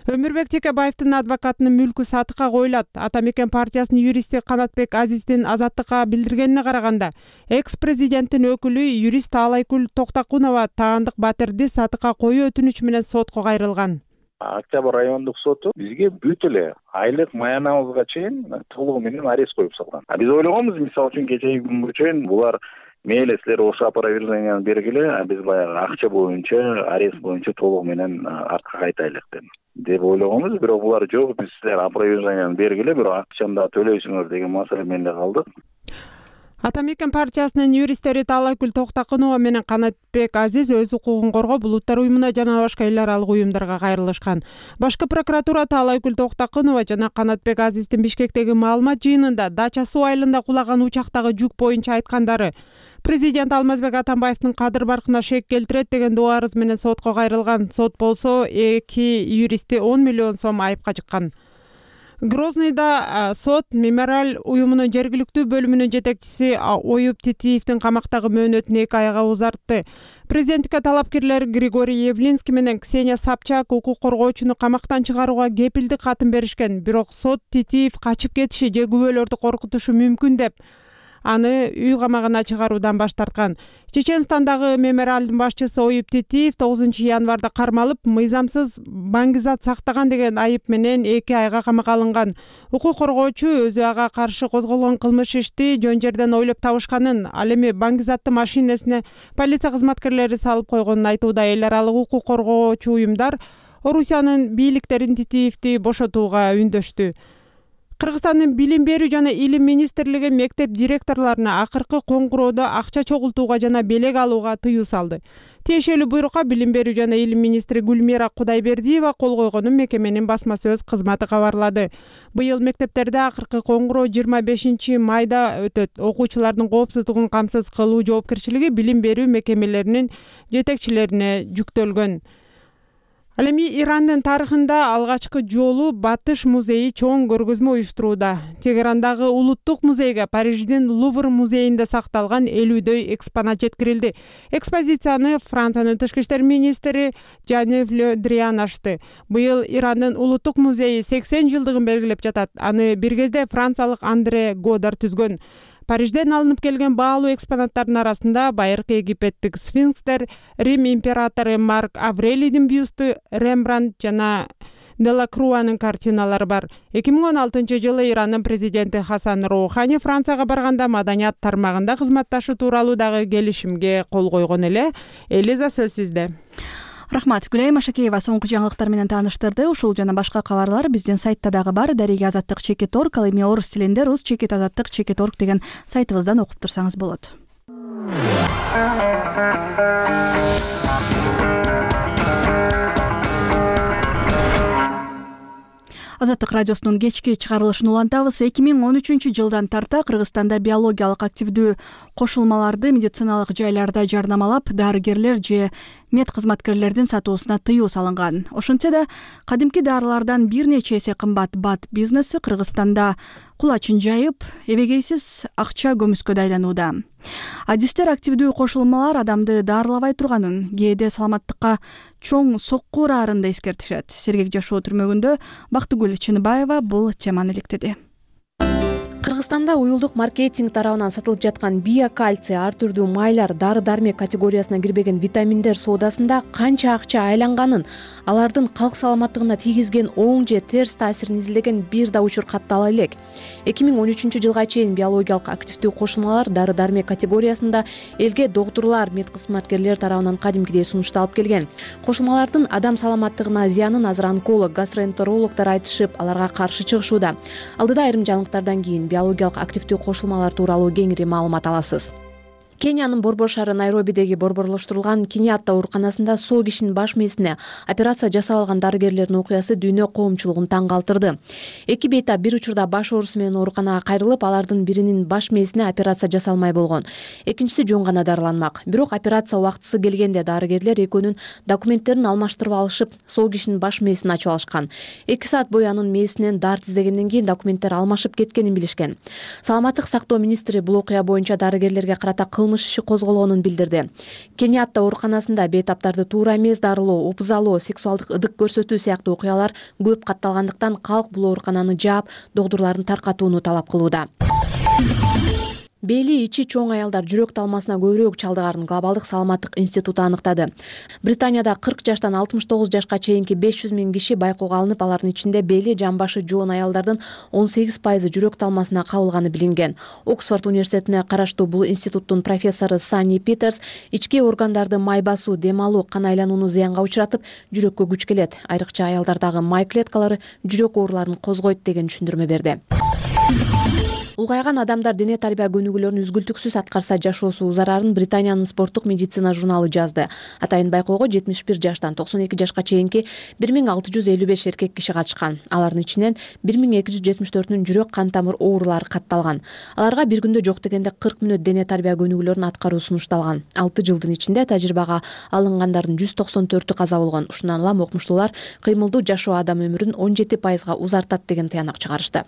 Өмүрбек Текебаевдин адвокатынын мүлкү сатыкка коюлат. Ата мекен партиясынын юристи Канатбек Азиздин Азаттыкка билдиргенине караганда, экс-президенттин өкүлү юрист Таалайгүл Токтакунова таандык батирди сатыкка коюу өтүнүч менен сотко кайрылган. Октябрь райондук соту бизге бүт эле айлык маянабызга чейин толугу менен арест коюп салган. Биз ойлогонбуз, мисалы үчүн кечеги күнгө чейин булар мейли силер ошо оправдательнияны бергиле, а биз баягы акча боюнча, арест боюнча толугу менен артка кайтайлык деп деп ойлогонбуз. Бирок булар жок, биз силер оправдательнияны бергиле, бирок акчаны да төлөйсүңөр деген маселе менен калдык. Ата мекен партиясынын юристтери Таалайгүл Токтакунова менен Канатбек Азиз өз укугун коргоп, Улуттар уюмуна жана башка эл аралык уюмдарга кайрылышкан. Башкы прокуратура Таалайгүл Токтакунова жана Канатбек Азиздин Бишкектеги маалымат жыйынында Дача суу айылында кулаган учактагы жүк боюнча айткандары президент Алмазбек Атамбаевдин кадыр баркына шек келтирет деген доо арыз менен сотко кайрылган. Сот болсо эки юристти он миллион сом айыпка жыккан. Грознойда сот мемориал уюмунун жергиликтүү бөлүмүнүн жетекчиси Оюп Титиевдин камактагы мөөнөтүн эки айга узартты. Президенттикке талапкерлер Григорий Явлинский менен Ксения Собчак укук коргоочуну камактан чыгарууга кепилдик катын беришкен. Бирок сот Титиев качып кетиши же күбөлөрдү коркутушу мүмкүн деп аны үй камагына чыгаруудан баш тарткан. Чеченстандагы мемориалдын башчысы Оюп Титиев тогузунчу январда кармалып, мыйзамсыз баңгизат сактаган деген айып менен эки айга камакка алынган. Укук коргоочу өзү ага каршы козголгон кылмыш ишти жөн жерден ойлоп табышканын, ал эми баңгизатты машинесине полиция кызматкерлери салып койгонун айтууда. Эл аралык укук коргоочу уюмдар Орусиянын бийликтерин Титиевди бошотууга үндөштү. Кыргызстандын билим берүү жана илим министрлиги мектеп директорлоруна акыркы коңгуроодо акча чогултууга жана белек алууга тыюу салды. Тиешелүү буйрукка билим берүү жана илим министри Гүлмира Кудайбердиева кол койгонун мекеменин басма сөз кызматы кабарлады. Быйыл мектептерде акыркы коңгуроо жыйырма бешинчи майда өтөт. Окуучулардын коопсуздугун камсыз кылуу жоопкерчилиги билим берүү мекемелеринин жетекчилерине жүктөлгөн. Ал эми Ирандын тарыхында алгачкы жолу Батыш музейи чоң көргөзмө уюштурууда. Тегерандагы улуттук музейге Париждин Лувр музейинде сакталган элүүдөй экспонат жеткирилди. Экспозицияны Франциянын тышкы иштер министри Жанев Ле Дриан ачты. Быйыл Ирандын улуттук музейи сексен жылдыгын белгилеп жатат. Аны бир кезде франциялык Андре Годар түзгөн. Парижден алынып келген баалуу экспонаттардын арасында байыркы египеттик сфинкстер, Рим императору Марк Аврелийдин бюсту, Рембрандт жана Делакруанын картиналары бар. эки миң он алтынчы жылы Ирандын президенти Хасан Роухани Францияга барганда маданият тармагында кызматташуу тууралуу дагы келишимге кол койгон эле. Элиза, сөз сизде. Рахмат. Гүлайым Ашакеева соңку жаңылыктар менен тааныштырды. Ушул жана башка кабарлар биздин сайтта дагы бар. Дарига Азаттык чекит точка орг, ал эми орус тилинде рус чекит азаттык чекит точка орг деген сайтыбыздан окуп турсаңыз болот. Азаттык радиосунун кечки чыгарылышын улантабыз. эки миң он үчүнчү жылдан тарта Кыргызстанда биологиялык активдүү кошулмаларды медициналык жайларда жарнамалап, дарыгерлер же мед кызматкерлердин сатуусуна тыюу салынган. Ошентсе да, кадимки дарылардан бир нече эсе кымбат бат бизнеси Кыргызстанда кулачын жайып, эбегейсиз акча көмүскө айланууда. Адистер активдүү кошулмалар адамды дарылабай турганын, кээде саламаттыкка чоң сокку ураарын да эскертишет. Сергек жашоо түрмөгүндө Бактыгүл Чыныбаева бул теманы иликтеди. Кыргызстанда уюлдук маркетинг тарабынан сатылып жаткан биокальций, ар түрдүү майлар, дары-дармек категориясына кирбеген витаминдер соодасында канча акча айланганын, алардын калк саламаттыгына тийгизген оң же терс таасирин изилдеген бир да учур каттала элек. эки миң он үчүнчү жылга чейин биологиялык активдүү кошулмалар дары-дармек категориясында элге доктурлар, медкызматкерлер тарабынан кадимкидей сунушталып келген. Кошулмалардын адам саламаттыгына зыянын азыр онколог, гастроэнтерологдор айтышып, аларга каршы чыгышууда. Алдыда айрым жаңылыктардан кийин биологиялык активдүү кошулмалар тууралуу кеңири маалымат аласыз. Кениянын Борбор шаары Найробидеги борборлоштурулган Кениатта ооруканасында соо кишинин баш мээсине операция жасап алган дарыгерлердин окуясы дүйнө коомчулугун таң калтырды. Эки бейтап бир учурда баш оорусу менен ооруканага кайрылып, алардын биринин баш мээсине операция жасалмай болгон. Экинчиси жөн гана дарыланмак. Бирок операция убактысы келгенде дарыгерлер экөөнүн документтерин алмаштырып алышып, соо кишинин баш мээсин ачып алышкан. эки саат бою анын мээсинен дарт издегенден кийин документтер алмашып кеткенин билишкен. Саламаттык сактоо министри бул окуя боюнча дарыгерлерге карата кылмыш иши козголгонун билдирди. Кениатта ооруканасында бейтаптарды туура эмес дарылоо, опузалоо, сексуалдык ыдык көрсөтүү сыяктуу окуялар көп катталгандыктан калк бул оорукананы жаап, доктурлардын таркатууну талап кылууда. Бели ичи чоң аялдар жүрөк талмасына көбүрөөк чалдыгарын Глобалдык саламаттык институту аныктады. Британияда кырк жаштан алтымыш тогуз жашка чейинки беш жүз миң киши байкоого алынып, алардын ичинде бели, жамбашы жоон аялдардын он сегиз пайызы жүрөк талмасына кабылганы билинген. Оксфорд университетине караштуу бул институттун профессору Санни Питерс ички органдарды май басуу, дем алуу, кан айланууну зыянга учуратып, жүрөккө күч келет. Айрыкча аялдардагы май клеткалары жүрөк ооруларын козгойт деген түшүндүрмө берди. Улгайган адамдар дене тарбия көнүгүүлөрүн үзгүлтүксүз аткарса жашоосу узарарын Британиянын спорттук медицина журналы жазды. Атайын байкоого жетимиш бир жаштан токсон эки жашка чейинки бир миң алты жүз элүү беш эркек киши катышкан. Алардын ичинен бир миң эки жүз жетимиш төртүнүн жүрөк кан тамыр оорулары катталган. Аларга бир күндө жок дегенде кырк мүнөт дене тарбия көнүгүүлөрүн аткаруу сунушталган. алты жылдын ичинде тажрыйбага алынгандардын жүз токсон төртү каза болгон. Ушундан улам окумуштуулар кыймылдуу жашоо адам өмүрүн он жети пайызга узартат деген тыянак чыгарышты.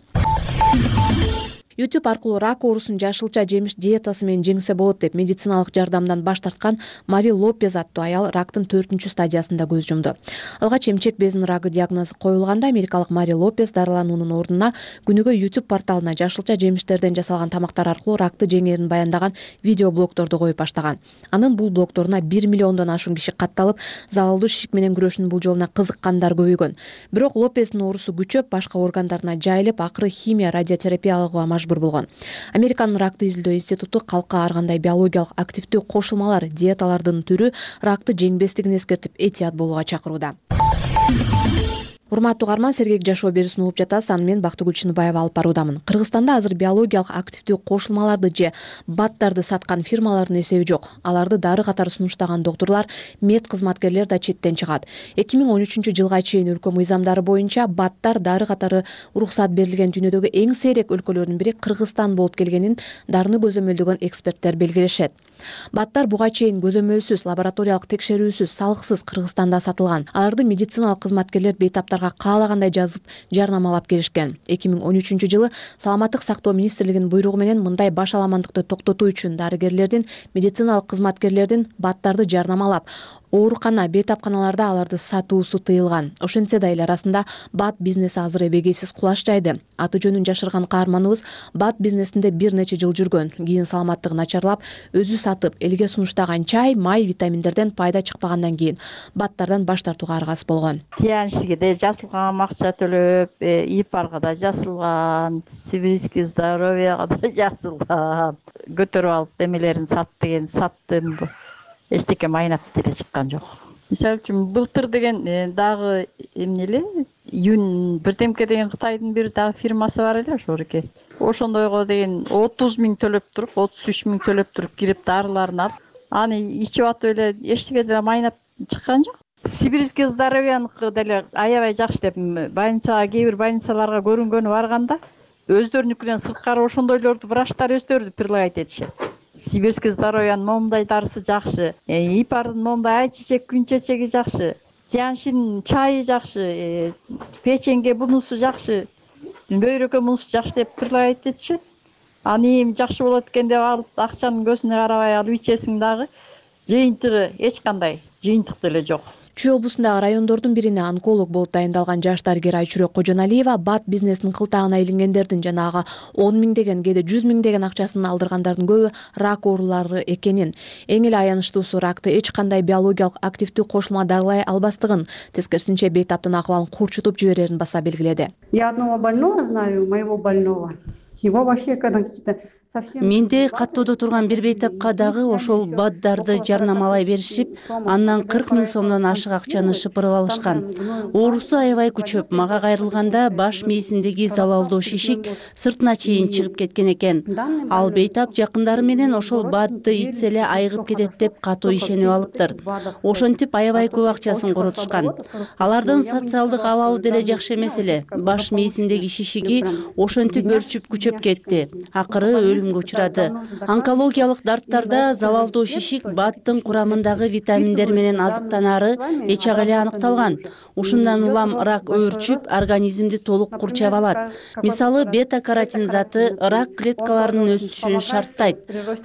YouTube аркылуу рак оорусун жашылча жемиш диетасы менен жеңсе болот деп медициналык жардамдан баш тарткан Мари Лопес аттуу аял рактын төртүнчү стадиясында көз жумду. Алгач эмчек безинин рагы диагнозу коюлганда америкалык Мари Лопес дарылануунун ордуна күнүгө YouTube порталына жашылча жемиштерден жасалган тамактар аркылуу ракты жеңээрин баяндаган видео блогторду коюп баштаган. Анын бул блогторуна бир миллиондон ашуун киши катталып, залалдуу шишик менен күрөшүүнүн бул жолуна кызыккандар көбөйгөн. Бирок Лопестин оорусу күчөп, башка органдарына жайылып, акыры химия, радиотерапия алууга болгон. Американын ракты изилдөө институту калкка ар кандай биологиялык активдүү кошулмалар, диеталардын түрү ракты жеңбестигин эскертип, этият болууга чакырууда. урматтуу угарман, сергек жашоо берүүсүн угуп жатасыз. Аны мен Бактыгүл Чыныбаева алып баруудамын. Кыргызстанда азыр биологиялык активдүү кошулмаларды же баттарды саткан фирмалардын эсеби жок. Аларды дары катары сунуштаган доктурлар, мед кызматкерлер да четтен чыгат. эки миң он үчүнчү жылга чейин өлкө мыйзамдары боюнча баттар дары катары уруксат берилген дүйнөдөгү эң сейрек өлкөлөрдүн бири Кыргызстан болуп келгенин дарыны көзөмөлдөгөн эксперттер белгилешет. Баттар буга чейин көзөмөлсүз, лабораториялык текшерүүсүз, салыксыз Кыргызстанда сатылган. Аларды медициналык кызматкерлер бейтаптарга каалагандай жазып, жарнамалап келишкен. эки миң он үчүнчү жылы Саламаттык сактоо министрлигинин буйругу менен мындай баш аламандыкты токтотуу үчүн дарыгерлердин, медициналык кызматкерлердин баттарды жарнамалап, оорукана, бейтапканаларда аларды сатуусу тыйылган. Ошентсе да эл арасында бат бизнеси азыр эбегейсиз кулаш жайды. Аты жөнүн жашырган каарманыбыз бат бизнесинде бир нече жыл жүргөн. Кийин саламаттыгы начарлап, өзү сатып, элге сунуштаган чай, май, витаминдерден пайда чыкпагандан кийин баттардан баш тартууга аргасыз болгон. Тияншиге да жазылган, акча төлөп, ИПАРга да жазылган, Сибирский здоровьяга да жазылган. Көтөрүп алып эмелерин сат деген саттым. Эчтеке майнап деле чыккан жок. Мисалы үчүн былтыр деген дагы эмне эле, Юн бирдемке деген Кытайдын бир дагы фирмасы бар эле ошоруке. Ошондойго деген отуз миң төлөп туруп, отуз үч миң төлөп туруп кирип дарыларын алып, аны ичип атып эле эчтеке деле майнап чыккан жок. Сибирский здоровьяныкы деле аябай жакшы деп больницага, кээ бир больницаларга көрүнгөнү барганда, өздөрүнүкүнөн сырткары ошондойлорду врачтар өздөрү предлагать этишет. Сибирский здоровьянын момундай дарысы жакшы, ИПАРдын момундай айчечек, күнчечеги жакшы, Тияншинин чайы жакшы, печеньге бунусу жакшы, бөйрөккө бунусу жакшы деп предлагать этишет. Аны эми жакшы болот экен деп алып, акчанын көзүнө карабай алып ичесиң дагы жыйынтыгы эч кандай жыйынтык деле жок. Чүй облусундагы райондордун бирине онколог болуп дайындалган жаш дарыгер Айчүрөк Кожоналиева бат бизнесинин кылтагына илингендердин жанагы он миң деген, кээде жүз миң деген акчасын алдыргандардын көбү рак оорулары экенин, эң эле аянычтуусу ракты эч кандай биологиялык активдүү кошулма дарылай албастыгын, тескерисинче бейтаптын акыбалын курчутуп жиберерин баса белгиледи. Я одного больного знаю, моего больного. Его вообще когда какие-то Менде каттоодо турган бир бейтапка дагы ошол баттарды жарнамалай беришип, андан кырк миң сомдон ашык акчаны шыпырып алышкан. Оорусу аябай күчөп, мага кайрылганда баш мээсиндеги залалдуу шишик сыртына чейин чыгып кеткен экен. Ал бейтап жакындары менен ошол батты ичсе эле айыгып кетет деп катуу ишенип алыптыр. Ошентип аябай көп акчасын коротушкан. Алардын социалдык абалы деле жакшы эмес эле. Баш мээсиндеги шишиги ошентип өрчүп күчөп кетти. Акыры өлүмгө учурады. Онкологиялык дарттарда залалдуу шишик баттын курамындагы витаминдер менен азыктанары эч ак эле аныкталган. Ушундан улам рак өөрчүп, организмди толук курчап алат. Мисалы, бета-каротин заты рак клеткаларынын өсүшүн шарттайт.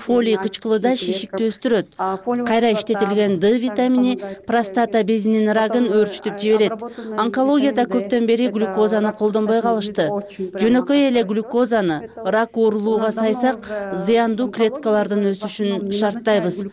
Фолий кычкылыда шишикти өстүрөт. Кайра иштетилген Д витамини простата безинин рагын өөрчүтүп жиберет. Онкологияда көптөн бери глюкозаны колдонбой калышты. Жөнөкөй эле глюкозаны рак оорулууга сайсак, зыяндуу клеткалардын өсүшүн шарттайбыз.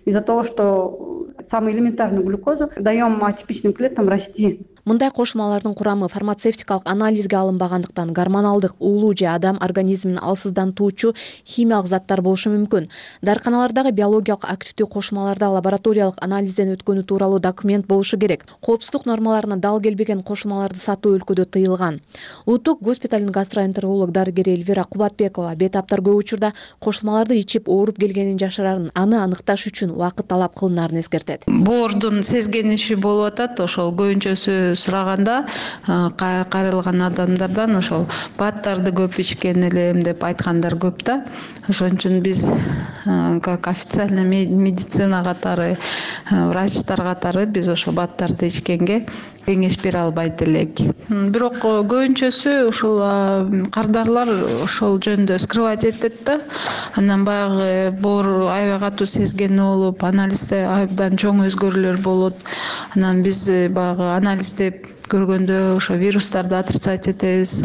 Из-за того, что самую элементарную глюкозу даем атипичным клеткам расти. Мындай кошулмалардын курамы фармацевтикалык анализге алынбагандыктан гормоналдык уулуу же адам организмин алсыздантуучу химиялык заттар болушу мүмкүн. Дарыканалардагы биологиялык активдүү кошулмаларда лабораториялык анализден өткөнү тууралуу документ болушу керек. Коопсуздук нормаларына дал келбеген кошулмаларды сатуу өлкөдө тыйылган. Улуттук госпиталдын гастроэнтеролог дарыгери Эльвира Кубатбекова бейтаптар көп учурда кошулмаларды ичип ооруп келгенин жашырарын, аны аныкташ үчүн убакыт талап кылынаарын эскертет. Боордун сезгениши болуп атат, ошол көбүнчөсү сураганда кайрылган адамдардан ошол баттарды көп ичкен элем деп айткандар көп да. Ошон үчүн биз как официальный медицина катары, врачтар катары биз ошол баттарды ичкенге кеңеш бере албайт элек. Бирок көбүнчөсү ушул кардарлар ошол жөнүндө скрывать этет да. Андан баягы боор аябай катуу сезген болуп, анализде абдан чоң өзгөрүүлөр болот. Анан биз баягы анализде көргөндө ошо вирустарды отрицать этебиз,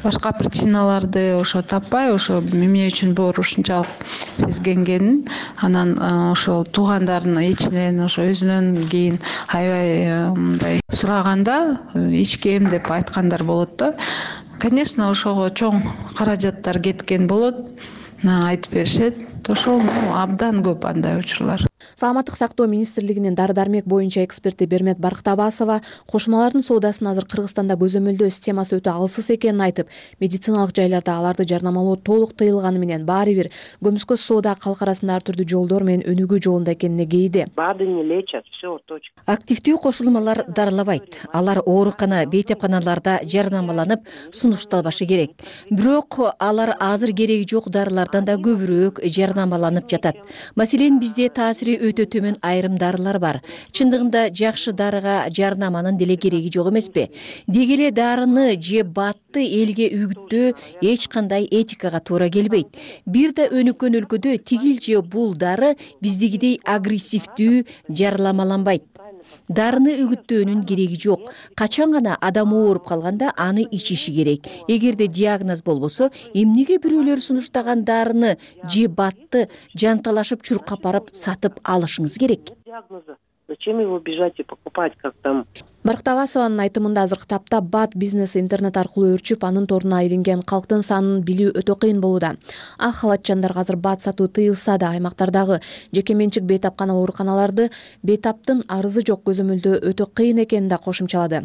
башка причиналарды ошо таппай, ошо эмне үчүн боор ушунчалык сезгенгенин, анан ошол туугандарынын ичинен ошо өзүнөн кийин аябай мындай сураганда ичкем деп айткандар болот да. Конечно, ошого чоң каражаттар кеткен болот, айтып беришет. Ошол абдан көп андай учурлар. саламаттык сактоо министрлигинин дары дармек боюнча эксперти Бермет Барктабасова кошумалардын соодасын азыр Кыргызстанда көзөмөлдөө системасы өтө алсыз экенин айтып, медициналык жайларда аларды жарнамалоо толук тыйылганы менен баары бир көмүскө соода калк арасында ар түрдүү жолдор менен өнүгүү жолунда экенине кейиди. БАДы не лечат, все точка. Активдүү кошулмалар дарылабайт. Алар оорукана, бейтепканаларда жарнамаланып сунушталбашы керек. Бирок алар азыр кереги жок дарылардан да көбүрөөк жарнамаланып жатат. Маселен, бизде таасири өтө төмөн айрым дарылар бар. Чындыгында жакшы дарыга жарнаманын деле кереги жок эмеспи? Деги эле дарыны же батты элге үгүттөө эч кандай этикага туура келбейт. Бир да өнүккөн өлкөдө тигил же бул дары биздегидей агрессивдүү жарнамаланбайт. Дарыны үгүттөөнүн кереги жок. Качан гана адам ооруп калганда аны ичиши керек. Эгерде диагноз болбосо, эмнеге бирөөлөр сунуштаган дарыны же батты жанталашып чуркап барып сатып алышыңыз керек? Зачем его бежать и покупать, как там? Барктабасованын айтымында азыркы тапта бат бизнеси интернет аркылуу өрчүп, анын торуна айланген калктын санын билүү өтө кыйын болууда. Ак халатчандарга азыр бат сатуу тыйылса да, аймактардагы жеке менчик бейтапкана ооруканаларды бейтаптын арызы жок көзөмөлдөө өтө кыйын экенин да кошумчалады.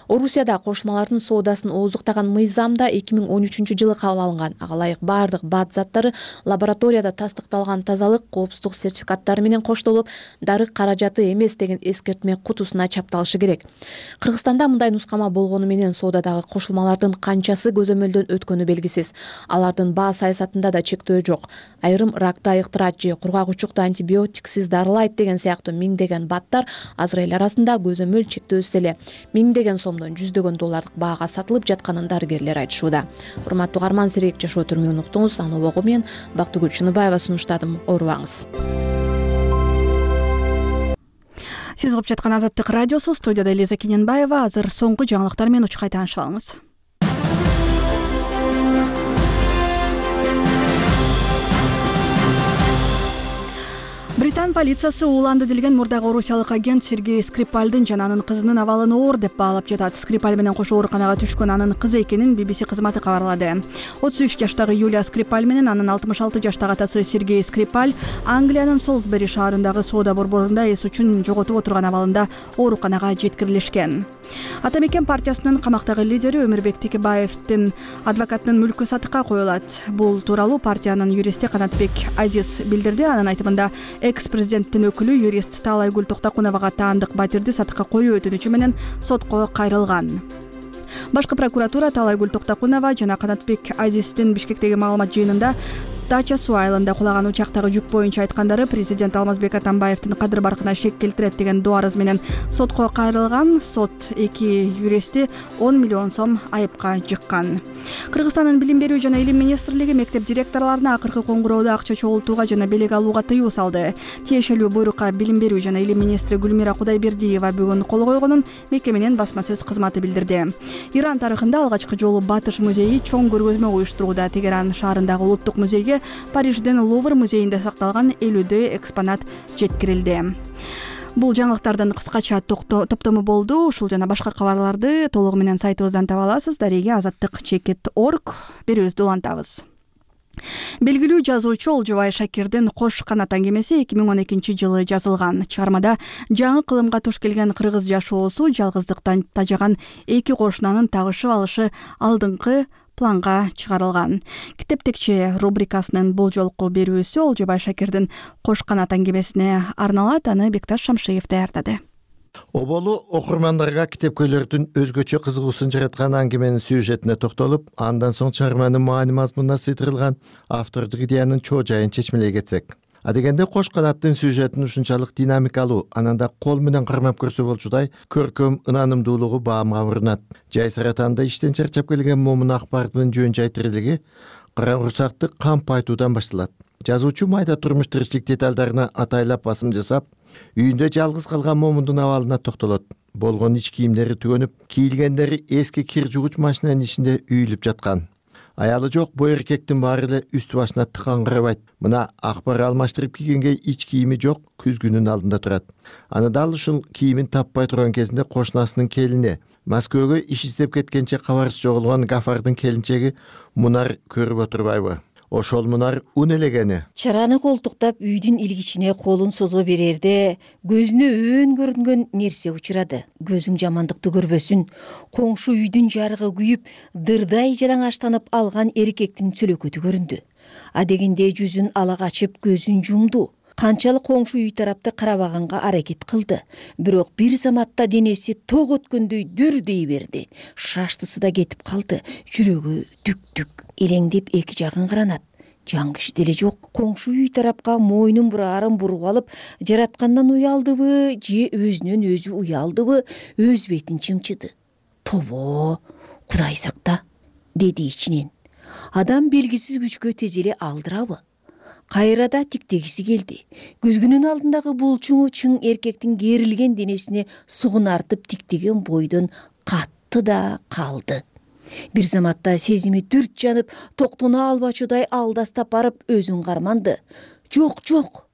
Орусияда кошумалардын соодасын ооздуктаган мыйзамда эки миң он үчүнчү жылы кабыл алынган. Ага ылайык баардык бат заттары лабораторияда тастыкталган тазалык, коопсуздук сертификаттары менен коштолуп, дары каражаты эмес деген эскертме кутусуна чапталышы керек. Кыргызстанда мындай нускама болгону менен соодадагы кошулмалардын канчасы көзөмөлдөн өткөнү белгисиз. Алардын баа саясатында да чектөө жок. Айрым ракты айыктырат же кургак учукту антибиотиксиз дарылайт деген сыяктуу миңдеген баттар азыр эл арасында көзөмөл чектөөсүз эле миңдеген сомдон жүздөгөн доллардык баага сатылып жатканын дарыгерлер айтышууда. Урматтуу угарман, Сирек жашоо түрмөгүн уктуңуз. Аны обого мен Бактыгүл Чыныбаева сунуштадым. Оорубаңыз. Сиз угуп жаткан Азаттык радиосу, студияда Элиза Кененбаева. Азыр соңку жаңылыктар менен учкай таанышып алыңыз. Британ полициясы ууланды делген мурдагы орусиялык агент Сергей Скрипальдын жана анын кызынын абалын оор деп баалап жатат. Скрипаль менен кошо ооруканага түшкөн анын кызы экенин би би си кызматы кабарлады. отуз үч жаштагы Юлия Скрипаль менен анын алтымыш алты жаштагы атасы Сергей Скрипаль Англиянын Солсбери шаарындагы соода борборунда эс үчүн жоготуп отурган абалында ооруканага жеткирилишкен. Ата мекен партиясынын камактагы лидери Өмүрбек Текебаевдин адвокатынын мүлкү сатыкка коюлат. Бул тууралуу партиянын юристи Канатбек Азиз билдирди. Анын айтымында экс-президенттин өкүлү юрист Таалайгүл Токтокуновага таандык батирди сатыкка коюу өтүнүчү менен сотко кайрылган. Башкы прокуратура Таалайгүл Токтокунова жана Канатбек Азиздин Бишкектеги маалымат жыйынында Дача суу айылында кулаган учактагы жүк боюнча айткандары президент Алмазбек Атамбаевдин кадыр баркына шек келтирет деген доо арыз менен сотко кайрылган. Сот эки юристти он миллион сом айыпка жыккан. Кыргызстандын билим берүү жана илим министрлиги мектеп директорлоруна акыркы коңгуроодо акча чогултууга жана белек алууга тыюу салды. Тиешелүү буйрукка билим берүү жана илим министри Гүлмира Кудайбердиева бүгүн кол койгонун мекеменин басма сөз кызматы билдирди. Иран тарыхында алгачкы жолу Батыш музейи чоң көргөзмө уюштурууда. Тегеран шаарындагы улуттук музейге Парижден Лувр музейинде сакталган элүүдөй экспонат жеткирилди. Бул жаңылыктардын кыскача топтому болду. Ушул жана башка кабарларды толугу менен сайтыбыздан таба аласыз. Дареге азаттык чекит точка орг берүүбүздү улантабыз. Белгилүү жазуучу Олжобай Шакирдин Кош канат аңгемеси эки миң он экинчи жылы жазылган. Чыгармада жаңы кылымга туш келген кыргыз жашоосу, жалгыздыктан тажаган эки кошунанын табышып алышы алдыңкы планга чыгарылган. Китептекчи рубрикасынын бул жолку берүүсү Олжобай Шакирдин Кош канат аңгемесине арналат. Аны Бекташ Шамшиев даярдады. Оболу окурмандарга китепкөйлөрдүн өзгөчө кызыгуусун жараткан аңгеменин сюжетине токтолуп, андан соң чыгарманын маани мазмунуна сыйдырылган автордук идеянын чоо жайын чечмелей кетсек. Адегенде Кош канаттын сюжетин ушунчалык динамикалуу, ананда кол менен кармап көрсө болчудай көркөм ынанымдуулугу баамга урунат. Жай саратанда иштен чарчап келген момун акбардын жөн жай тирилиги караңгырсакты камп айтуудан башталат. Жазуучу майда турмуш тиричилик деталдарына атайлап басым жасап, үйүндө жалгыз калган момундун абалына токтолот. Болгон ич кийимдери түгөнүп, кийилгендери эски кир жугуч машинанын ичинде үйүлүп жаткан. Аялы жок бу эркектин баары эле үстү башына тыкаңгырабайт. Мына акбар алмаштырып кийгенге ич кийими жок, күзгүнүн алдында турат. Аны дал ушул кийимин таппай турган кезинде кошунасынын келини, Москвага иш издеп кеткенче кабарсыз жоголгон Гафардын келинчеги Мунар көрүп отурбайбы? ошол Мунар үн элегени. Чараны колтуктап үйдүн илгичине колун созо берерде көзүнө өөн көрүнгөн нерсе учурады. Көзүң жамандыкты көрбөсүн. Коңшу үйдүн жарыгы күйүп, дырдай жалаңачтанып алган эркектин сөлөкөтү көрүндү. Адегенде жүзүн ала качып көзүн жумду. Канчалык коңшу үй тарапты карабаганга аракет кылды. Бирок бир заматта денеси ток өткөндөй дүрдей берди. Шаштысы да кетип калды. Жүрөгү түк-түк элеңдеп эки жагын каранат. Жан киши деле жок. Коңшу үй тарапка мойнун бурарын буруп алып, жараткандан уялдыбы, же өзүнөн өзү уялдыбы, өз бетин чымчыды. Тобо, Кудай сакта, деди ичинен. Адам белгисиз күчкө тезеле алдырабы? Кайрада тиктегиси келди. Көзгүнүн алдындагы булчуңу чың эркектин керилген денесине сугунартып тиктеген бойдон катты да калды. Бир заматта сезими дүрт жанып, токтоно албачудай алдастап барып өзүн карманды. Жок, жок,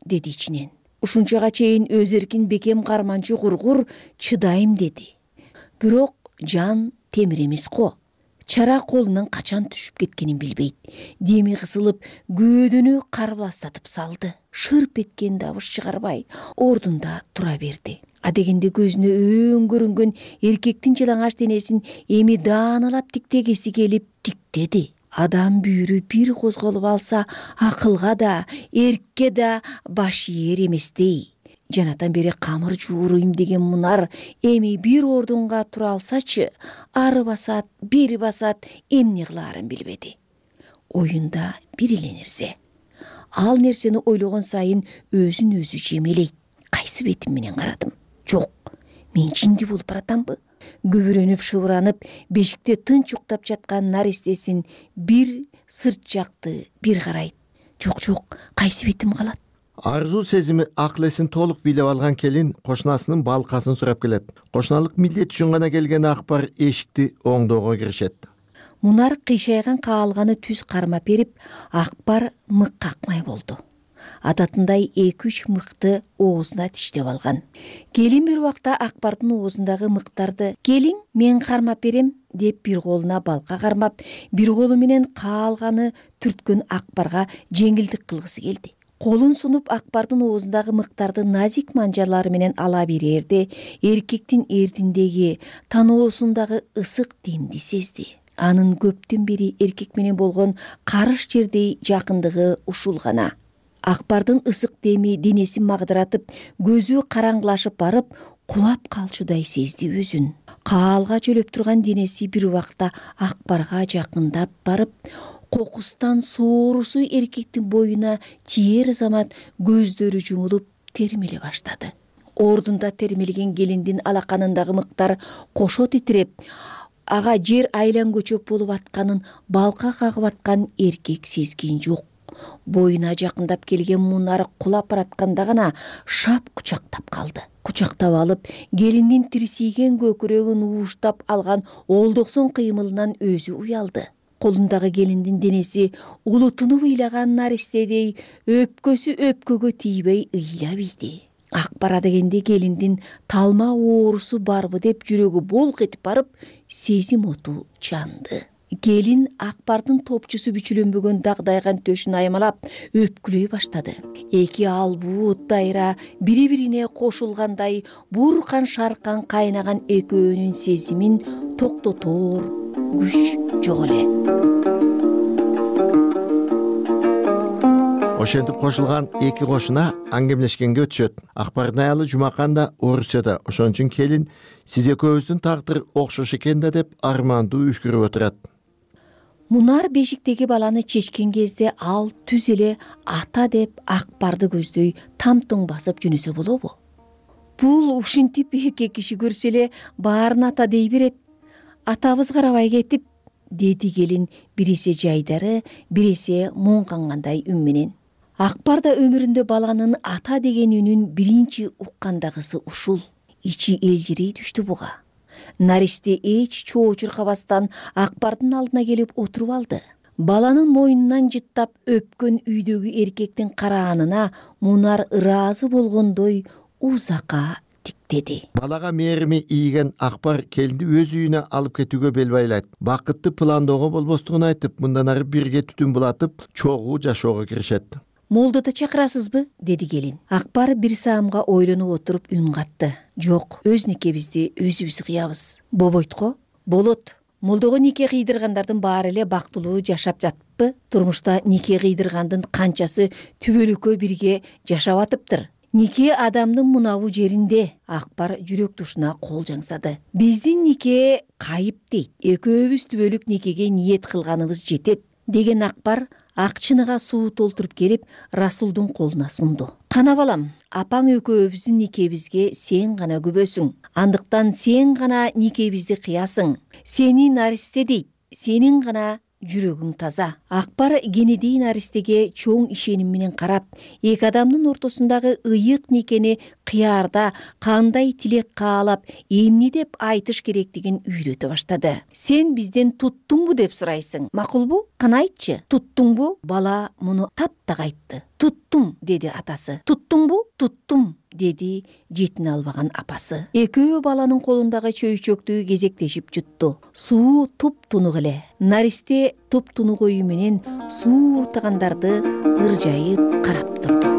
деди ичинен. Ушунчага чейин өз эркин бекем карманчу кургур чыдайм деди. Бирок жан темир эмес го. Чара колунан качан түшүп кеткенин билбейт. Деми кысылып, көөдөнү карбаластатып салды. Шырп эткен дабыш чыгарбай, ордунда тура берди. Адегенде көзүнө өөн көрүнгөн эркектин жалаңач денесин эми дааналап тиктегиси келип тиктеди. Адам бүйүрү бир козголуп алса, акылга да, эркке да баш ээр эместей. Жанатан бери камыр жууруйм деген Мунар эми бир ордунга тура алсачы, ары басат, бери басат, эмне кылаарын билбеди. Оюнда бир эле нерсе. Ал нерсени ойлогон сайын өзүн өзү жемелейт. Кайсы бетим менен карадым? Жок, мен жинди болуп баратамбы? Көбүрөнүп шыбыранып, бешикте тынч уктап жаткан наристесин бир сырт жакты, бир карайт. Жок, жок, кайсы бетим калат? Арзуу сезими акыл эсин толук бийлеп алган келин кошунасынын балкасын сурап келет. Кошуналык милдет үчүн гана келген Акбар эшикти оңдоого киришет. Мунар кыйшайган каалганы түз кармап берип, Акбар мык какмай болду. Адатындай эки-үч мыкты оозуна тиштеп алган. Келин бир убакта Акбардын оозундагы мыктарды "Келиң, мен кармап берем" деп бир колуна балка кармап, бир колу менен каалганы түрткөн Акбарга жеңилдик кылгысы келди. Колун сунуп Акбардын оозундагы мыктарды назик манжалары менен ала берерде, эркектин эрдиндеги, таноосундагы ысык демди сезди. Анын көптөн бери эркек менен болгон карыш жердей жакындыгы ушул гана. Акбардын ысык деми денесин магдыратып, көзү караңгылашып барып, кулап калчудай сезди өзүн. Каалга жөлөп турган денеси бир убакта Акбарга жакындап барып, кокустан соорусу эркектин боюна тиер замат көздөрү жумулуп термеле баштады. Ордунда термелген келиндин алаканындагы мыктар кошо титиреп, ага жер айлан көчөк болуп атканын балка кагып аткан эркек сезген жок. Боюна жакындап келген Мунар кулап баратканда гана шап кучактап калды. Кучактап алып, келиндин тирсийген көкүрөгүн ууштап алган олдоксон кыймылынан өзү уялды. Колундагы келиндин денеси улутунуп ыйлаган наристедей өпкөсү өпкөгө тийбей ыйлап ийди. Акбар дегенде келиндин талма оорусу барбы деп жүрөгү болк этип барып, сезим оту жанды. Келин Акбардын топчусу бүчүлөнбөгөн дагдайган төшүн аймалап өпкүлөй баштады. Эки албуу дайра бири-бирине кошулгандай буркан шаркан кайнаган экөөнүн сезимин токтотоор күч жок эле. Ошентип кошулган эки кошуна аңгемелешкенге өтүшөт. Акбардын аялы Жумакан да Орусияда, ошон үчүн келин "Сиз экөөбүздүн тагдыр окшош экен да" деп армандуу үшкүрүп отурат. Мунар бешиктеги баланы чечкен кезде ал түз эле ата деп Акбарды көздөй тамтың басып жөнөсө болобу? Бул ушинтип эки киши көрсө эле баарын ата дей берет. Атабыз карабай кетип, деди келин бирисе жайдары, бирисе муңкангандай үн менен. Акбар да өмүрүндө баланын ата деген үнүн биринчи уккандагысы ушул. Ичи элжирей түштү буга. Наристе эч чоо чуркабастан Акбардын алдына келип отуруп алды. Баланын мойнунан жыттап өпкөн үйдөгү эркектин караанына Мунар ыраазы болгондой узакка тиктеди. деди. Балага мээрими ийген Акбар келинди өз үйүнө алып кетүүгө бел байлайт. Бакытты пландоого болбостугун айтып, мындан ары бирге түтүн булатып, чогуу жашоого киришет. Молдоду чакырасызбы? Деди келин. Акбар бир саамга ойлонуп отуруп үн катты. Жок, өз никебизди өзүбүз кыябыз. Бобойт го? Болот. Молдого нике кыйдыргандардын баары эле бактылуу жашап жатпы? Турмушта нике кыйдыргандын канчасы түбөлүккө бирге жашап атыптыр. Нике адамдын мунабу жеринде. Акбар жүрөк тушуна кол жаңсады. Биздин нике кайып дейт. Экөөбүз түбөлүк никеге ниет кылганыбыз жетет, деген Акбар ак чыныга суу толтуруп келип Расулдун колуна сунду. Кана балам, апаң экөөбүздүн никебизге сен гана күбөсүң. Андыктан сен гана никебизди кыясың. Сени наристе дейт. Сенин гана жүрөгүң таза. Акбар кенедей наристеге чоң ишеним менен карап, эки адамдын ортосундагы ыйык никени кыярда кандай тилек каалап, эмне деп айтыш керектигин үйрөтө баштады. Сен бизден туттуңбу деп сурайсың. Макулбу? Кана айтчы. Туттуңбу? Бала муну таптак айтты. Туттум, деди атасы. Туттуңбу? Туттум, деди жетине албаган апасы. Экөө баланын колундагы чөйчөктү кезектешип жутту. Суу туп-тунук эле. Наристе туп-тунук өйү менен суу уртагандарды ыржайып карап турду.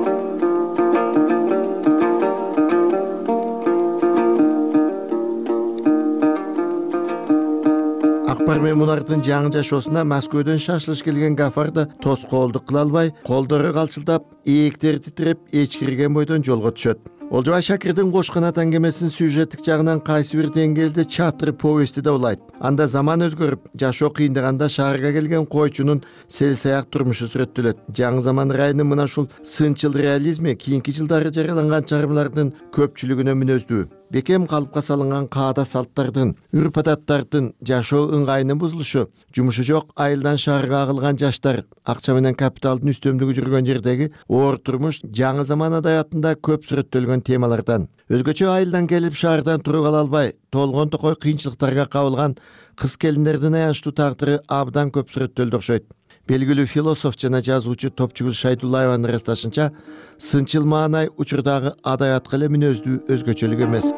Акбар менен Мунардын жаңы жашоосуна Москвадөн шашылыш келген Гафар да тоскоолдук кыла албай, колдору калчылдап, ээктери титиреп, эчкирген бойдон жолго түшөт. Олжобай Шакирдин Кош канат аңгемесинин сюжеттик жагынан кайсы бир деңгээлде чатыр повести да улайт. Анда заман өзгөрүп, жашоо кыйындаганда шаарга келген койчунун селсаяк турмушу сүрөттөлөт. Жаңы заман райынын мына ушул сынчыл реализми кийинки жылдары жарыяланган чыгармалардын көпчүлүгүнө мүнөздүү. Бекем калыпка салынган каада салттардын, үрп-адаттардын, жашоо ыңгайынын бузулушу, жумушу жок айылдан шаарга агылган жаштар, акча менен капиталдын үстөмдүгү жүргөн жердеги оор турмуш жаңы заман адабиятында көп сүрөттөлгөн темалардан. Өзгөчө айылдан келип шаардан туруп кала албай, толгон токой кыйынчылыктарга кабылган кыз келиндердин аянычтуу тагдыры абдан көп сүрөттөлдү окшойт. Белгилүү философ жана жазуучу Топчугүл Шайдуллаеванын ырасташынча, сынчыл маанай учурдагы адабиятка эле мүнөздүү өзгөчөлүк эмес.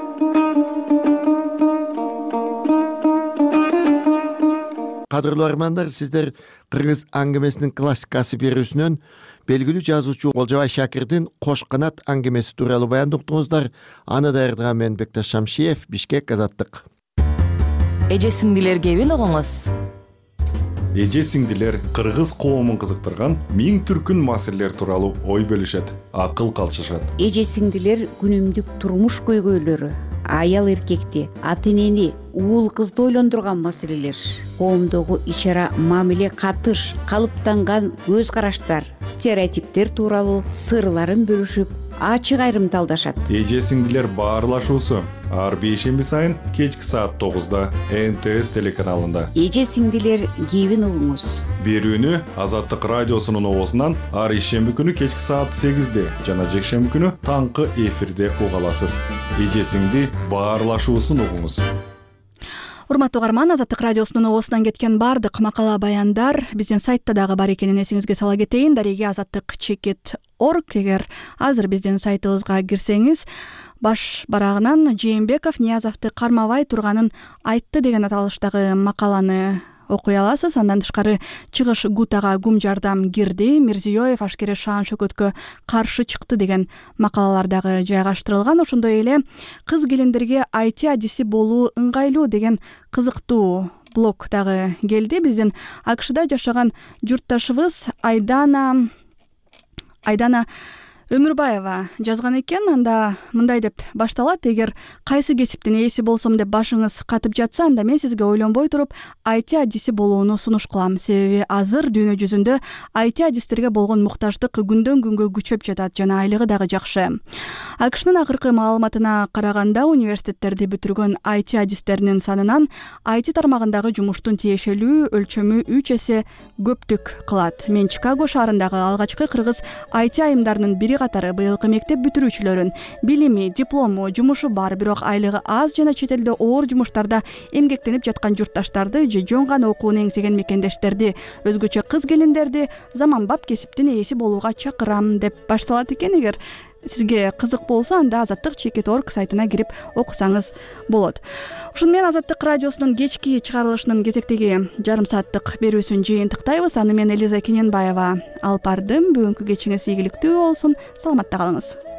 Кадырлуу армандар, сиздер Кыргыз аңгемесинин классикасы берүүсүнөн белгилүү жазуучу Олжобай Шакирдин Кош канат аңгемеси тууралуу баянды уктуңуздар. Аны даярдаган мен Бекташ Шамшиев, Бишкек, Азаттык. Эже сиңдилер кебин угуңуз. Эже сиңдилер кыргыз коомун кызыктырган миң түркүн маселелер тууралуу ой бөлүшөт, акыл калчышат. Эже сиңдилер күнүмдүк турмуш көйгөйлөрү, аял эркекти, ата энени, уул кызды ойлондурган маселелер, коомдогу ич ара мамиле, катыш, калыптанган көз караштар, стереотиптер тууралуу сырларын бөлүшүп, ачык айрымдалдашат. Эже сиңдилер баарлашуусу ар бейшемби сайын кечки саат тогузда эн тэ эс телеканалында. Эже сиңдилер кебин угуңуз. Берүүнү Азаттык радиосунун оозунан ар ишемби күнү кечки саат сегизде жана жекшемби күнү таңкы эфирде уга аласыз. Эже сиңди баарлашуусун угуңуз. Урматтуу угарман, Азаттык радиосунун оозунан кеткен бардык макала баяндар биздин сайтта дагы бар экенин эсиңизге сала кетейин. Дареги азаттык чекит орг. Эгер азыр биздин сайтыбызга кирсеңиз, баш барагынан Жээнбеков Ниязовду кармабай турганын айтты деген аталыштагы макаланы окуй аласыз. Андан тышкары чыгыш Гутага гум жардам кирди, Мирзиёев ашкере шаан шөкөткө каршы чыкты деген макалалар дагы жайгаштырылган. Ошондой эле кыз келиндерге ай ти адиси болуу ыңгайлуу деген кызыктуу блог дагы келди. Биздин а ка шда жашаган журтташыбыз Айдана Айдана Өмүрбаева жазган экен. Анда мындай деп башталат: эгер кайсы кесиптин ээси болсом деп башыңыз катып жатса, анда мен сизге ойлонбой туруп ай ти адиси болууну сунуш кылам. Себеби азыр дүйнө жүзүндө ай ти адистерге болгон муктаждык күндөн күнгө күчөп жатат жана айлыгы дагы жакшы. а ка шнын акыркы маалыматына караганда, университеттерди бүтүргөн ай ти адистеринин санынан ай ти тармагындагы жумуштун тиешелүү өлчөмү үч эсе көптүк кылат. Мен Чикаго шаарындагы алгачкы кыргыз ай ти айымдарынын бири катары быйылкы мектеп бүтүрүүчүлөрүн. Билими, диплому, жумушу бар, бирок айлыгы аз жана чет элде оор жумуштарда эмгектенип жаткан журтташтарды же жөн гана окууну эңсеген мекендештерди, өзгөчө кыз келиндерди заманбап кесиптин ээси болууга чакырам деп башталат экен. Эгер сизге кызык болсо анда азаттык чекит точка орг сайтына кирип окусаңыз болот. Ушуну менен Азаттык радиосунун кечки чыгарылышынын кезектеги жарым сааттык берүүсүн жыйынтыктайбыз. Аны мен Элиза Кененбаева алып бардым. Бүгүнкү кечиңиз ийгиликтүү болсун. Саламатта калыңыз.